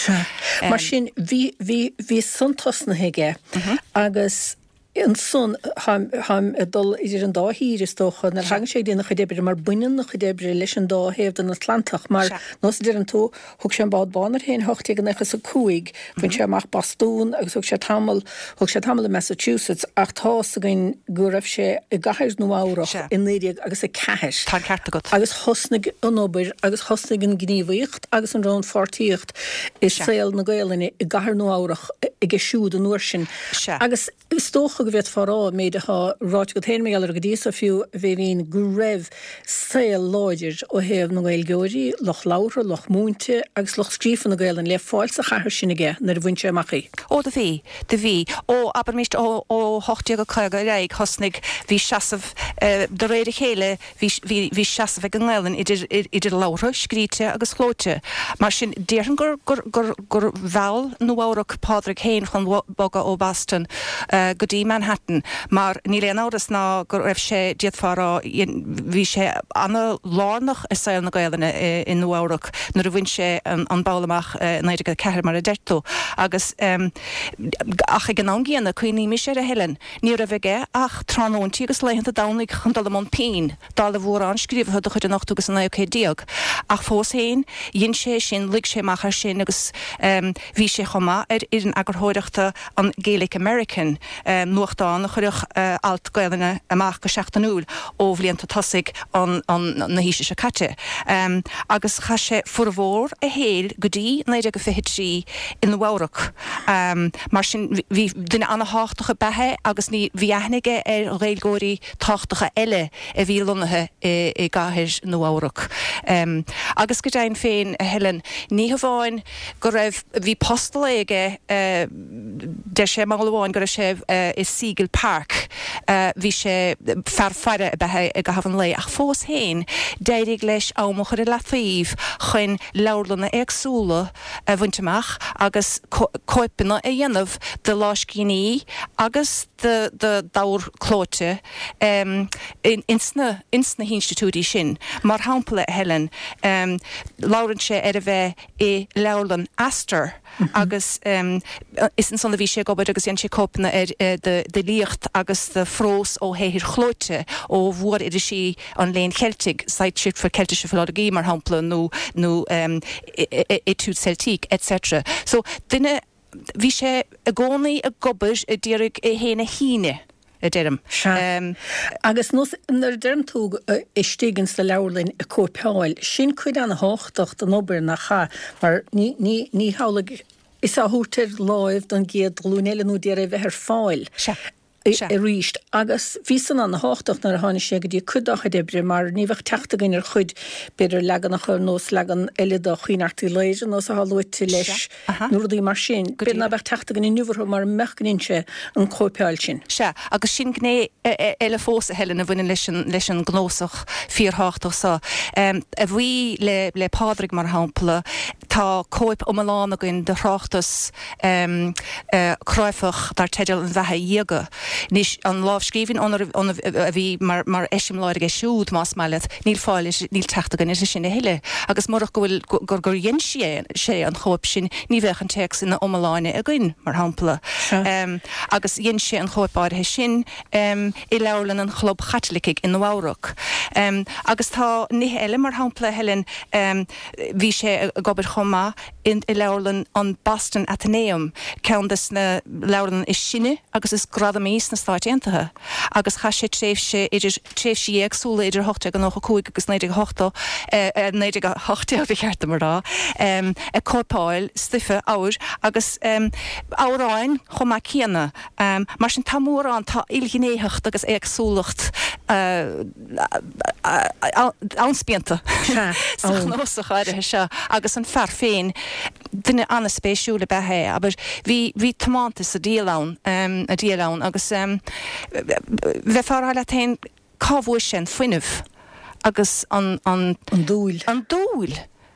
Mar sin, bhí, bhí, bhí san tosnaithe aige agus Ansan, táim ag dul idir an dá thír, is dócha, nuair a thagann sé ag déanamh a chuid oibre, mar baineann a chuid oibre leis an dá thaobh den Atlantach, mar, nós a deireann tú, thug sé an bád bán air féin i hocht déag nócha is a cúig, bhain sé amach Bostún agus thug sé tamall, thug sé tamall i Massachusetts, ach tá's againn go raibh sé i gcathair Nua Eabhrach i naoi déag agus a ceathair. Tá an ceart agat. Agus thosnaigh an obair agus thosnaigh an ghníomhaíocht agus an rannpháirtíocht i saol na Gaelainne i gcathair Nua Eabhrach aige siúd an uair sin. Agus is dócha go bhféadfá a rá, an méid atá ráite agat féin mar gheall air go dtí so fiú, a Bhéibhinn, go raibh saol láidir ó thaobh na nGaeilgeoirí, lucht labhartha, lucht múinte agus lucht scríofa na Gaelainne le fáil sa chathair sin aige nuair a bhain sé amach í. Ó, do bhí, do bhí. Ó, abraimis, ó, ó hocht déag caoga ar aghaidh, thosnaigh, bhí seasamh, de réir a chéile, bhí, bhí, bhí seasamh ag an nGaelainn idir, idir labhartha, scríte agus chlóite. Mar sin, déarfainn gur, gur, gur, gur mheall Nua-Eabhrac Pádraig féin chun bogadh ó Boston go dtí Manhattan mar níl aon amhras ná go raibh sé, d'fhéadfá a rá, bhí sé ana-lárnach i saol na Gaelainne i Nua-Eabhrac nuair a bhain sé an ball amach i naoi déag a ceathair mar a deir tú. Agus, ach ag an am gcéanna, cuimhnímis air a Helen, ní raibh aige ach tráthnóintí agus laethanta Domhnaigh chun dul i mbun pinn, dála mhórán scríobhaithe de chuid an ochtú agus an naoú céad déag. Ach fós féin, dhein sé sin, luigh sé amach air sin agus bhí sé chomh maith ar fhoireann eagarthóireachta an Gaelic American, nuachtán nuachtán a chuireadh alt Gaelainne amach go seachtainiúil ó bhlianta tosaigh an na haoise seo caite. Agus chaith sé formhór a shaoil go dtí naoi déag a fiche trí i Nua-Eabhrac. Mar sin bhí duine ana-thábhachtach ab ea é agus ní bhí aithne aige ar Ghaeilgeoirí tábhachtacha eile a bhí lonnaithe i gcathair Nua-Eabhrac. Agus go deimhin féin, a Helen, ní hamháin go raibh, bhí post lae aige, deir sé mall amháin go raibh sé i Siegel Park, bhí sé, fear faire ab ea é i gcaitheamh an lae, ach fós féin d'éirigh leis am a chur i leataobh chun leabharlanna éagsúla a bhaint amach agus cóipeanna a dhéanamh de lámhscríbhinní agus d'ábhar clóite ins na hinstitiúidí sin. Mar shampla, a Helen, labhrann sé ar a bheith i leabharlann Astor agus is ansan a bhí sé ag obair agus dhein sé cóipeanna d'fhilíocht agus de phrós ó shaothair chlóite ó mhór-irisí an Léinn Cheiltigh, Zeitschrift für Keltische Philologie mar shampla nó nó Études Celtiques etc. So duine, bhí sé i gcónaí ag obair a d'iarraidh é féin a shíneadh, a deirim. Sea. Agus nuair a deireann tú istigh ins na leabharlainn ag cóipeáil, sin cuid ana-thábhachtach den obair nach ea? Mar ní, ní, ní hamhlaidh is á thabhairt ar láimh don gcéad ghlúin eile nó d'iarraidh a bheith ar fáil. Sea. Sea. arís. Agus bhí san ana-thábhachtach nuair a tháinig sé go dtí cuid dá chuid oibre mar ní bheadh teacht againn ar chuid, b'fhéidir, leaganacha ar nós leagan eile de Chaoin Airt Uí Laoghaire nós atá luaite leis nó rudaí mar sin. B'fhéidir ná beadh teacht againn inniu orthu mara mbeadh go ndein sé an chóipeáil sin. Sea, agus sin gné eile fós, a Helen, a bhaineann leis an, leis an gcnuasach fíorthábhachtach seo. A bhuí le, le Pádraig, mar shampla, tá cóip iomlán againn de thráchtas cráifeach dar teideal An Bheatha Dhiaga. Anois, an lámhscríbhinn óna raibh, óna, a bhí mar, mar eiseamláir aige siúd, más maith leat, níl fáil uirthi, níl teacht againn uirthi sin a thuilleadh. Agus murach go bhfuil, gur, gur dhein sé, sé an chóip sin, ní bheadh an téacs ina iomláine againn, mar shampla. Agus dhein sé an chóip áirithe sin i leabharlann an Chlub Chaitlicigh i Nua-Eabhrac. Agus tá nithe eile, mar shampla, Helen, bhí sé ag obair chomh maith i leabharlann an Boston Athenaeum, ceann des na leabharlanna is sine agus is gradamaí sna Stáit Aontaithe, agus chaith sé tréimhse idir tréimhsí éagsúla idir ocht déag nócha cúig agus naoi déag a hocht, naoi déag a hocht déag ba cheart dom a rá, ag cóipeáil stuife, ábhair, agus amhráin chomh maith céanna. Mar sin tá mórán, tá ilghnéitheacht agus éagsúlacht an-spíonta sa chnuasach áirithe seo agus an fear féin, duine an-spéisiúil ab ea é, abair, bhí, bhí tiomantas sa diabhal ann, a diabhal ann agus bheifeá a rá leat féin cá bhfuair sé an fuinneamh agus an, an. An dúil. An dúil!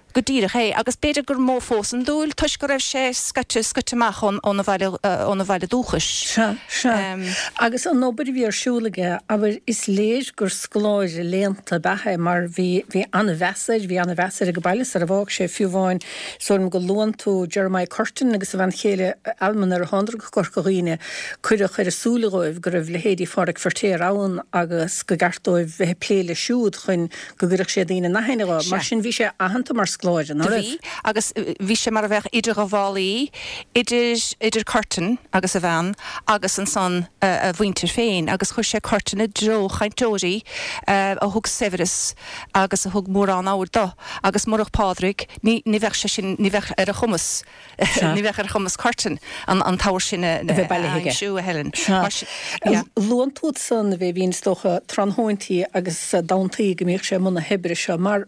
Go díreach é, agus b'fhéidir gur mó fós an dúil toisc go raibh sé scoite, scoite amach ón, óna bhaile, óna bhaile dúchais. Sea, sea. Agus an obair a bhí ar siúl aige, abair, is léir gur scoláire léannta ab ea é mar bhí, bhí an-mheas air, bhí an-mheas air ag an baile sar a bhfág sé, fiú amháin, is dóigh liom go luann tú Jeremiah Curtin agus a bhean chéile Alma nuair a thánadar go Corca Dhuibhne, cuireadh ar a súile dhóibh go raibh leithéidí Phádraig Feirtéar ann agus go gceart dóibh bheith ag plé leis siúd chun go gcuirfeadh sé daoine in aithne dhó. Mar sin bhí sé aitheanta mar scoláire, ná Do raibh? bhí, agus bhí sé mar a bheadh idirghabhálaí idir, idir Curtin agus a bhean agus ansan a mhuintir féin, agus chuir sé Curtin i dtreo chainteoirí a thug saibhreas agus a thug mórán ábhair dó, agus murach Pádraig ní, ní bheadh sé sin, ní bheadh ar a chumas, ní bheadh ar chumas Curtin an, an t-ábhar sin a, A bheith a bailithe aige. aimsiú, a Helen. Sea. Mar sin, yeah. Luann tú ansan a bheith, bhíonn is dócha tráthnóintí agus domhantaí go mbíodh sé i mbun na hoibre seo mar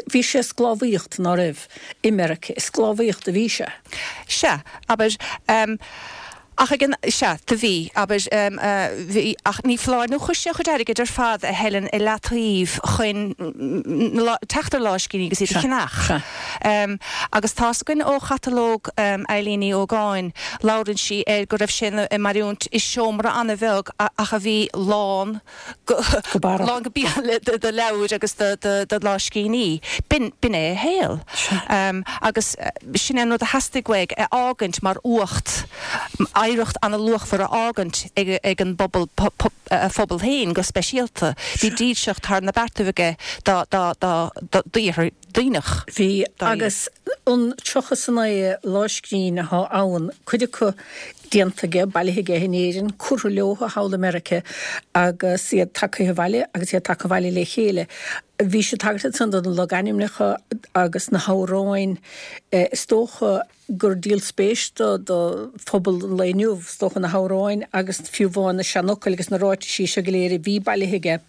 bhí sé i sclábhaíocht, ná raibh, i Meirice, i sclábhaíocht a bhí sé. Sea, abair, ach ag an, sea, do bhí, abair, bhí, ach ní foláir nó chuir sé a chuid airgid ar fad, a Helen, i leataobh chun teacht ar lámhscríbhinní agus iad a Sea, cheannach. sea. Agus tá's againn ó chatalóg Eilín Ní Ógáin, labhrann sí air go raibh sé ag mairiúint i seomra an-bheag ach a bhí lán go go barra. Lán go béal de leabhair agus de lámhscríbhinní. B'in b'in é a shaol. Agus sin é an rud a theastaigh uaidh a fhágaint mar uacht, oidhreacht ana-luachmhar a fhágaint ag an bpobal, a phobal féin go speisialta. Bhí dílseacht thar na beartaibh aige dá dá dá d'iarthar Duibhneach. Bhí, agus an tríocha is a naoi lámhscríbhinn atá ann, cuid acu déanta aige, bailithe aige in Éirinn, curtha leo thall i Meiriceá agus iad tagtha abhaile agus iad tagtha abhaile le chéile. Bhí sé tagairt ansan do na logainmneacha agus na hamhráin. Is dócha gur díol spéis do do phobal an lae inniu, is dócha, na hamhráin agus fiú amháin na seanfhocail agus na ráitisí seo go léir a bhí bailithe aige.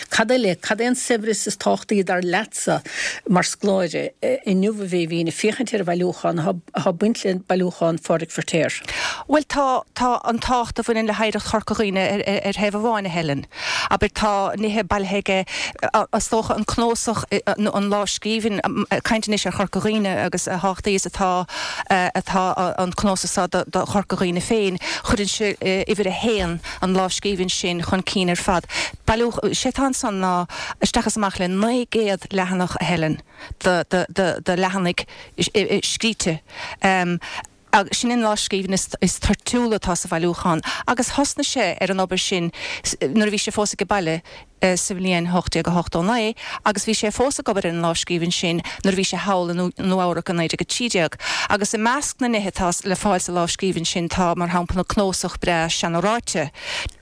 Cad eile, cad é an saibhreas is tábhachtaí dar leatsa mar scoláire inniu a Bhéibhinn ag féachaint ar an bhailiúchán atá ag baint le bailiúchán Phádraig Feirtéar? Bhuel tá, tá an tábhacht a bhaineann le hoidhreacht Chorca Dhuibhne ar, ar, ar thaobh amháin a Helen. Abair tá nithe bailithe aige, is dócha an cnuasach nó an lámhscríbhinn, ag caint anois ar Chorca Dhuibhne agus a thábhachtaí is atá, atá an cnuasach seo do, do Chorca Dhuibhne féin, chuireann sé uimhir a haon an lámhscríbhinn sin chun cinn ar fad. Bailiúch, sé atá ansan ná isteach is amach le naoi gcéad leathanach a Helen de, de, de, de leathanaigh scríte. Agus sin an lámhscríbhinn is, is toirtiúla atá sa bhailiúchán. Agus thosnaigh sé ar an obair sin nuair a bhí sé fós age baile sa bhliain ocht déag a hochtó naoi agus bhí sé fós ag obair ar an lámhscríbhinn sin nuair a bhí sé thall i Nua-Eabhrac i naoi déag a trí déag. Agus i measc na nithe atá le fáil sa lámhscríbhinn sin tá, mar shampla, cnuasach breá seanráite,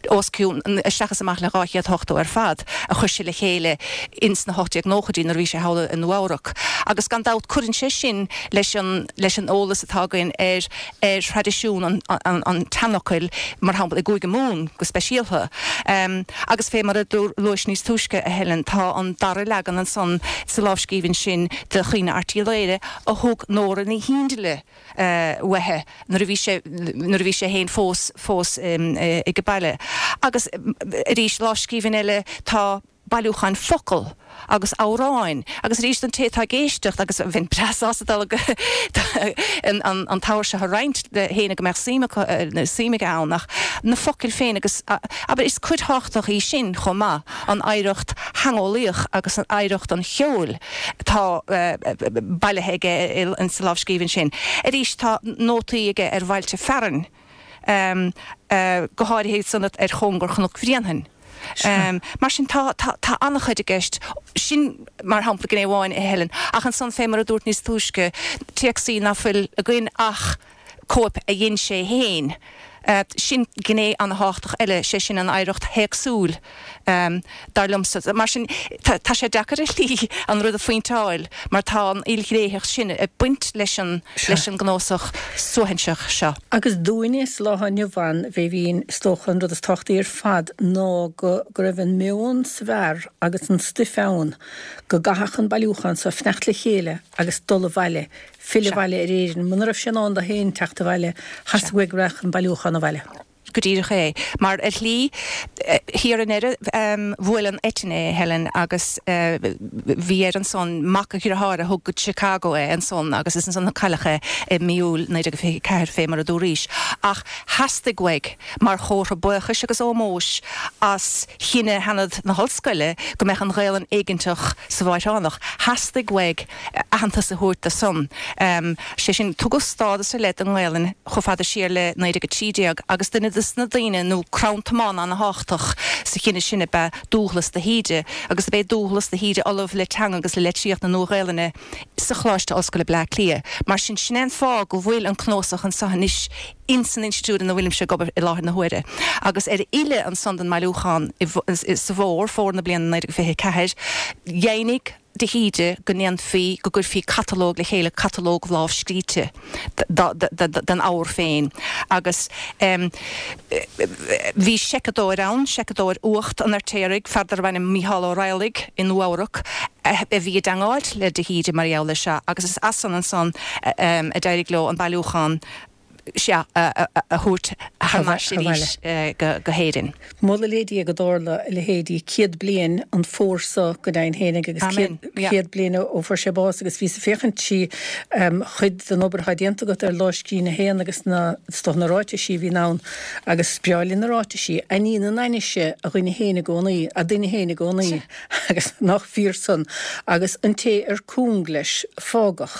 os cionn, isteach is amach le dhá chéad ochtó ar fad, a chuir sé le chéile ins na hocht déag nóchaidí nuair a bhí sé thall i Nua-Eabhrac. Agus gan dabht cuireann sé sin leis an, leis an eolas atá againn ar, ar thraidisiún an, an, an tseanfhocail, mar shampla i gCúige Mumhan go speisialta. Agus fé mar a luais níos túisce, a Helen, tá an dara leagan ansan sa lámhscríbhinn sin de Chaoineadh Airt Uí Laoghaire a thug Nóra Ní Chionfhaile uaithe nuair a bhí sé, nuair a bhí sé féin fós, fós age baile. Agus arís, lámhscríbhinn eile, tá bailiúcháin focal agus amhráin. Agus arís don té atá ag éisteacht, agus bheinn breá sásta dul an, an, an t-ábhar seo a roinnt le héinne go mbeadh suim acu, suim aige ann, ach na focail féin agus, abair, is cuid thábhachtach í sin chomh maith, an oidhreacht theangeolaíoch agus an oidhreacht an cheoil atá bailithe aige sa lámhscríbhinn sin. Arís, tá nótaí aige ar bhailte fearainn, go háirithe san ar chóngar Chnoc Bhréanainn. Mar sin, tá, tá, tá an-chuid i gceist. Sin, mar shampla, gné amháin, a Helen. Ach ansan, fé mar a dúrt níos túisce, téacsaí ná fuil againn ach cóip a dhein sé féin. Sin gné an-thábhachtach eile, sé sin an oidhreacht théacsúil, dar liomsa. Mar sin, tá sé deacair ar shlí an rud a phointeáil mar tá an ilghnéitheacht sin ag baint leis an leis an gcnuasach suaithinseach seo. Agus dúinne sa lá atá inniu ann, a Bhéibhinn, is dócha an rud is tábhachtaí ar fad ná go go raibh an meon sa bhfear agus an stuif ann go gcaithfeadh an bailiúchán so fanacht le chéile agus dul abhaile Filleadh abhaile ar Éirinn. Muna raibh sé in ann dó féin teacht abhaile, theastaigh uaidh go raghadh an bailiúchán abhaile. Go díreach é. Mar ar shlí, thiar i ndeireadh, bhuail an eitinn é, Helen, agus bhí air ansan, mac a dhriotháir a thug go Chicago é ansan agus is ansan a cailleadh é i mí Iúil naoi déag fiche ceathair, fé mar a dúraís. Ach theastaigh uaidh, mar chomhartha buíochais agus ómóis as chinneadh Sheanad na hOllscoile go mbeadh an Ghaelainn éigeantach sa Mháithreánach, theastaigh uaidh aitheantas a thabhairt do san. Sé sin, tugadh stádas ar leith don nGaelainn chomh fada siar le naoi déag a trí déag agus duine de na daoine nó crann tiomána ana-thábhachtach sa chinneadh sin ab ea Dúghlas de hÍde agus ab é Dúghlas de hÍde ollamh le teanga agus le litríocht na Nua-Ghaelainne sa Choláiste Ollscoile Bleá Cliath. Mar sin, sin é an fáth go bhfuil an cnuasach anso anois ins an institiúid ina bhfuilimse ag obair i láthair na huaire. Agus ar a fhilleadh ansan don mbailiúchán sa bhfómhar, fómhar na bliana naoi déag fiche ceathair, dheimhnigh de hÍde go ndéanfaí, go gcuirfí catalóg le chéile, catalóg lámhscríte den ábhar féin. Agus bhí seiceadóir ann, seiceadóir Uacht an Fheirtéaraigh, fear darbh ainm Mícheál Ó Raghallaigh i Nua-Eabhrac, a bhí i dteangmháilt le de hÍde mar gheall air seo agus is as san ansan a d'éirigh leo an bailiúchán seo a thabhairt thar n-ais arís go hÉirinn. Moladh le Dia go dtarla a leithéidí céad bliain an fómhar seo go deimhin fhéinig agus céad bliain ó fuair sé bás agus bhíos ag féachaint trí chuid den obair atá déanta agat ar lámhscríbhinn a haon agus na is dócha na ráitisí a bhíonn ann agus is breá linn na ráitisí. Ainnín an ainnise a dhuine fhéin i gcónaí, a duine fhéin i gcónaí agus nach fíor san agus an té ar cúng leis fágadh.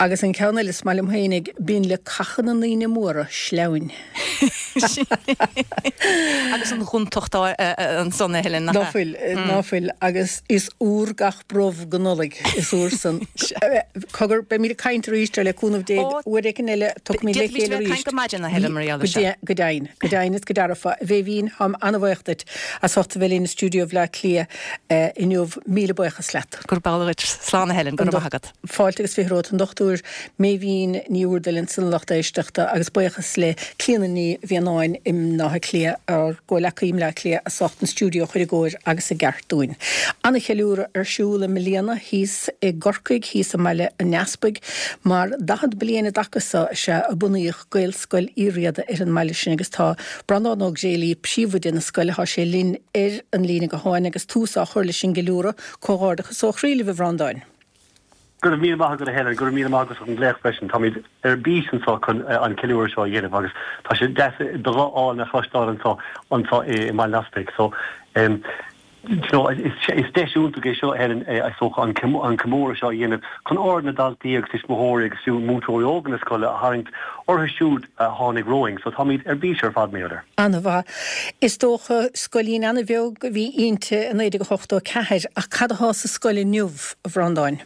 Agus an ceann eile is maith liom fhéinig binn le caitheamh na ndaoine móra sleamhain. Agus an ghontacht ansan, a Helen, nach Ná fuil, ná fuil, agus is úr gach brobh go Nollaig, is úr san. Cogar, beimid ag caint arís ar le cúnamh Dé, uair éigin eile, tiocfaimid le D'fhéadfaimis chéile bheith ag arís. caint go maidin, a Helen, mar gheall air seo. Go deimhin, go deimhin is go dearfa. A Mhéibhín, táim an-bhuíoch duit as ucht a bheith linn i stiúideo Bhaile Átha Cliath inniu. Míle buíochas leat. Gurb amhlaidh duit. Slán, a Helen, go raibh maith agat. Fáilte agus fiche romhat, an Dochtúir Méibhín Ní Úrdail ansan a lucht éisteachta agus buíochas le Clíona Ní Mhianáin i mBaile Átha Cliath, ár gcomhleacaí i mBleá Cliath, as ucht an stiúideo a chur i gcóir agus i gceart dúinn. Ana-cheiliúradh ar siúl i mbliana thíos i gCorcaigh, thíos i mBaile an Easpaig, mar daichead bliain i dtaca seo is ea a bunaíodh Gaelscoil Uí Riada ar an mbaile sin agus tá Breandán Ó Gréalaí, príomhoide na scoile, tá sé linn ar an líne gutháin agus tús á chur leis an gceiliúradh. Comhghairdeachas ó chroí libh, a Bhreandáin. Go raibh míle maith agat, a Helen, go raibh míle maith agat as an nglaoch freisin. Táimid ar bís anseo chun an ceiliúradh seo a dhéanamh agus tá sé deas do ghuth álainn a chloisteáil anseo anseo i mBaile an Easpaig. So um, you know, is, is deis iontach é seo, Helen, is dócha an an comóradh seo a dhéanamh chun aird na daltaí agus tuismitheoirí agus fiú múinteoirí óga na scoile a tharraingt orthu siúd a tháinig romhainn, so táimid ar bís ar fad maidir. An-mhaith. Is dócha scoilín an-bheag a bhí inti i naoi déag ochtó a ceathair, ach cad atá sa scoil inniu, a Bhreandáin?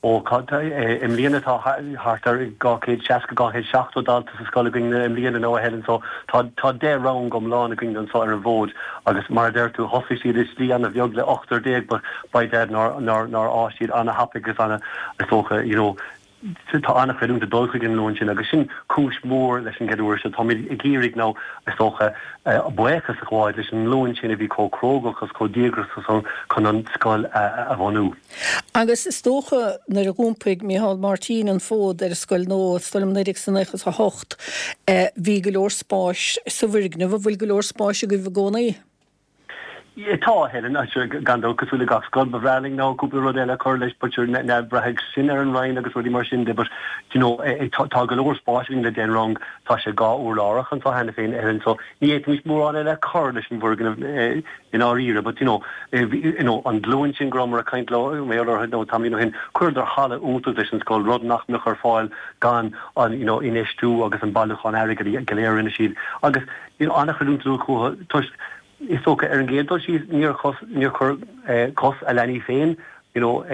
Ó, i mbliana tá thart ar dhá chéad seasca, dhá chéad seachtó dalta sa scoil againn i mbliana now, a Helen, so tá tá deich rang iomlán againn anseo ar an bhfód agus mar a deir tú thosaigh siad i slí an-bheag le ochtar déag but by dad nár nár nár fhás siad an-thapaidh agus ana is dócha you know tá an-chreidiúint ag dul chuig an nglúin sin agus sin cúis mhór leis an gceiliúradh seo. Táimid ag iarraidh now is dócha buíochas a ghabháil leis an nglúin sin a bhí chomh cróga agus chomh díograiseach chun an scoil a bhunú. Agus is dócha nuair a dh'iompaigh Micheál Martin an fód ar an scoil nua, is dóigh liom naoi déag is nócha is a hocht, bhí go leor spáis sa bhfoirgneamh, an bhfuil go leor spáis agaibh i gcónaí? Tá, Helen, gan dabht, cosúil le gach scoil, ba bhreá linn now cúpla rud eile a chur leis but sure now braithfidh sin ar an Roinn agus rudaí mar sin de but you know tá go leor spáis againn le deich rang, tá sé dhá urlárach anseo cheana féin, Helen, so ní fhéadfaimis mórán eile a chur leis an bhfoirgneamh i ndáiríre but you know you know an glúin sin go rabhamar ag caint leo mé orthu nó tamaillín ó shin, chuireadar halla iontach leis an scoil, rud nach mbeadh ar fáil gan an you know infheistiú agus an bailiúchán airgid go léir a rinne siad agus you know an-chreidiúint chucu toisc Is dócha, ar an gcéad dul síos, níor chos, níor chuir cos a leanaí féin, you know,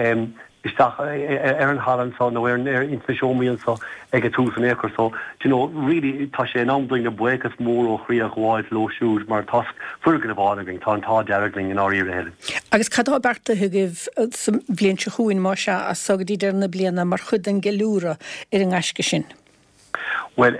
isteach ar an halla anseo nó ar ar ins na seomraí anseo ag an tús in aon chor. So, do you know, really tá sé in am dúinn buíochas mór ó chroí a ghabháil leo siúd mar tá foirgneamh álainn againn, tá an t-ádh dearg linn i ndáiríre, Helen. Agus cad atá beartaithe agaibh sa bhliain seo chugainn, más ea, as so go dtí deireadh na bliana mar chuid den gceiliúradh ar an ngaisce sin? Bhuel,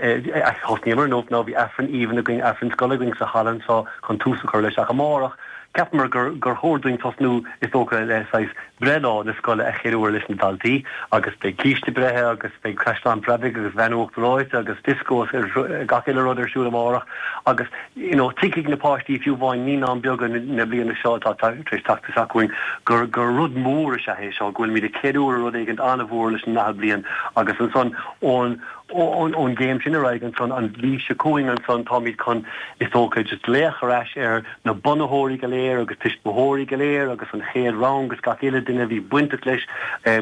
thosnaíomar inniu now bhí Aifreann aoibhinn againn, Aifreann scoile againn sa halla anseo chun tús a chur leis ach amárach, cheapamar gur gur chóir dúinn tosnú is dócha le saghas breithlá na scoile a cheiliúradh leis na daltaí agus beidh císte breithe agus beidh Caisleán Preabaigh agus Veain Uachtar Reoite agus disco agus gach uile rud ar siúl amárach agus you know tuigfidh na páistí fiú amháin naíonáin beaga na bliana seo atá tar éis teacht isteach chugainn gur gur rud mór is ea é seo go bhfuilimid ag ceiliúradh rud éigin an-mhór leis an ndaichead bliain agus ansan ón Ón gcéim sin ar aghaidh ansan, an mhí seo chugainn ansan, táimid chun, is dócha, just glaoch ar ais ar na bunaitheoirí go léir agus tuismitheoirí go léir agus an chéad rang agus gach uile duine a bhí bainteach leis,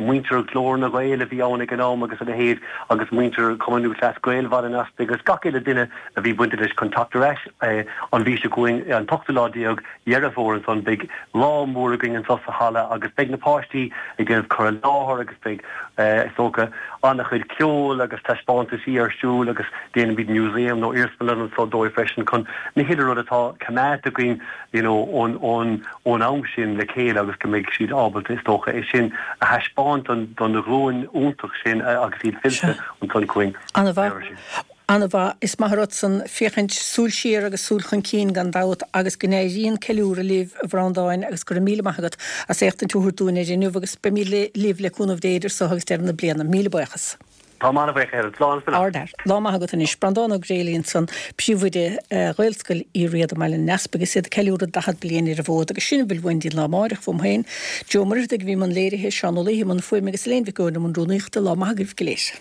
muintir Ghlór na nGael a bhí ann ag an am agus a leithéid agus muintir Chumann Lúthchleas Gael Bhaile an Easpaig agus gach uile duine a bhí bainteach leis chun teacht ar ais an mhí seo chugainn, an t-ochtú lá déag Dheireadh Fómhair ansan. Beidh lá mór againn anso sa halla agus beidh na páistí ag déanamh cur i láthair agus beidh, is dócha, an-chuid ceoil agus taispeántaisí ar siúl agus déanfaimid museum nó iarsmalann anso dóibh freisin chun na huile rud atá coimeádta againn you know ón ón ón am sin le chéile agus go mbeidh siad ábalta is dócha é sin a thaispeáint don don ghlúin iontach sin agus iad fillte ansan chugainn. An-mhaith. An-mhaith. Is maith an rud san féachaint súil siar agus súil chun cinn gan dabht agus go n-éirí an ceiliúradh libh a Bhreandáin agus go raibh míle maith agat as éachtaint a thabhairt dúinn air inniu agus beimid libh le cúnamh Dé idir so agus deireadh na bliana. Míle buíochas. Táim an-bhuíoch a Helen. Slán for now. Ardfhear. Lá maith agat anois. Breandán Ó Gréalaí ansan, Príomhoide Ghaelscoil Uí Riada i mBaile an Easpaig is iad ag ceiliúradh daichead bliain ar an bhfód agus sin a bhfuil uainn dtí an lá amáireach uaim féin. Joe Ó Muircheartaigh a bhí i mbun léirithe, Seán Ó Laoithe i mbun fuaime agus Elaine Mhic Eoin i mbun rúnaíochta. Lá maith agaibh go léir.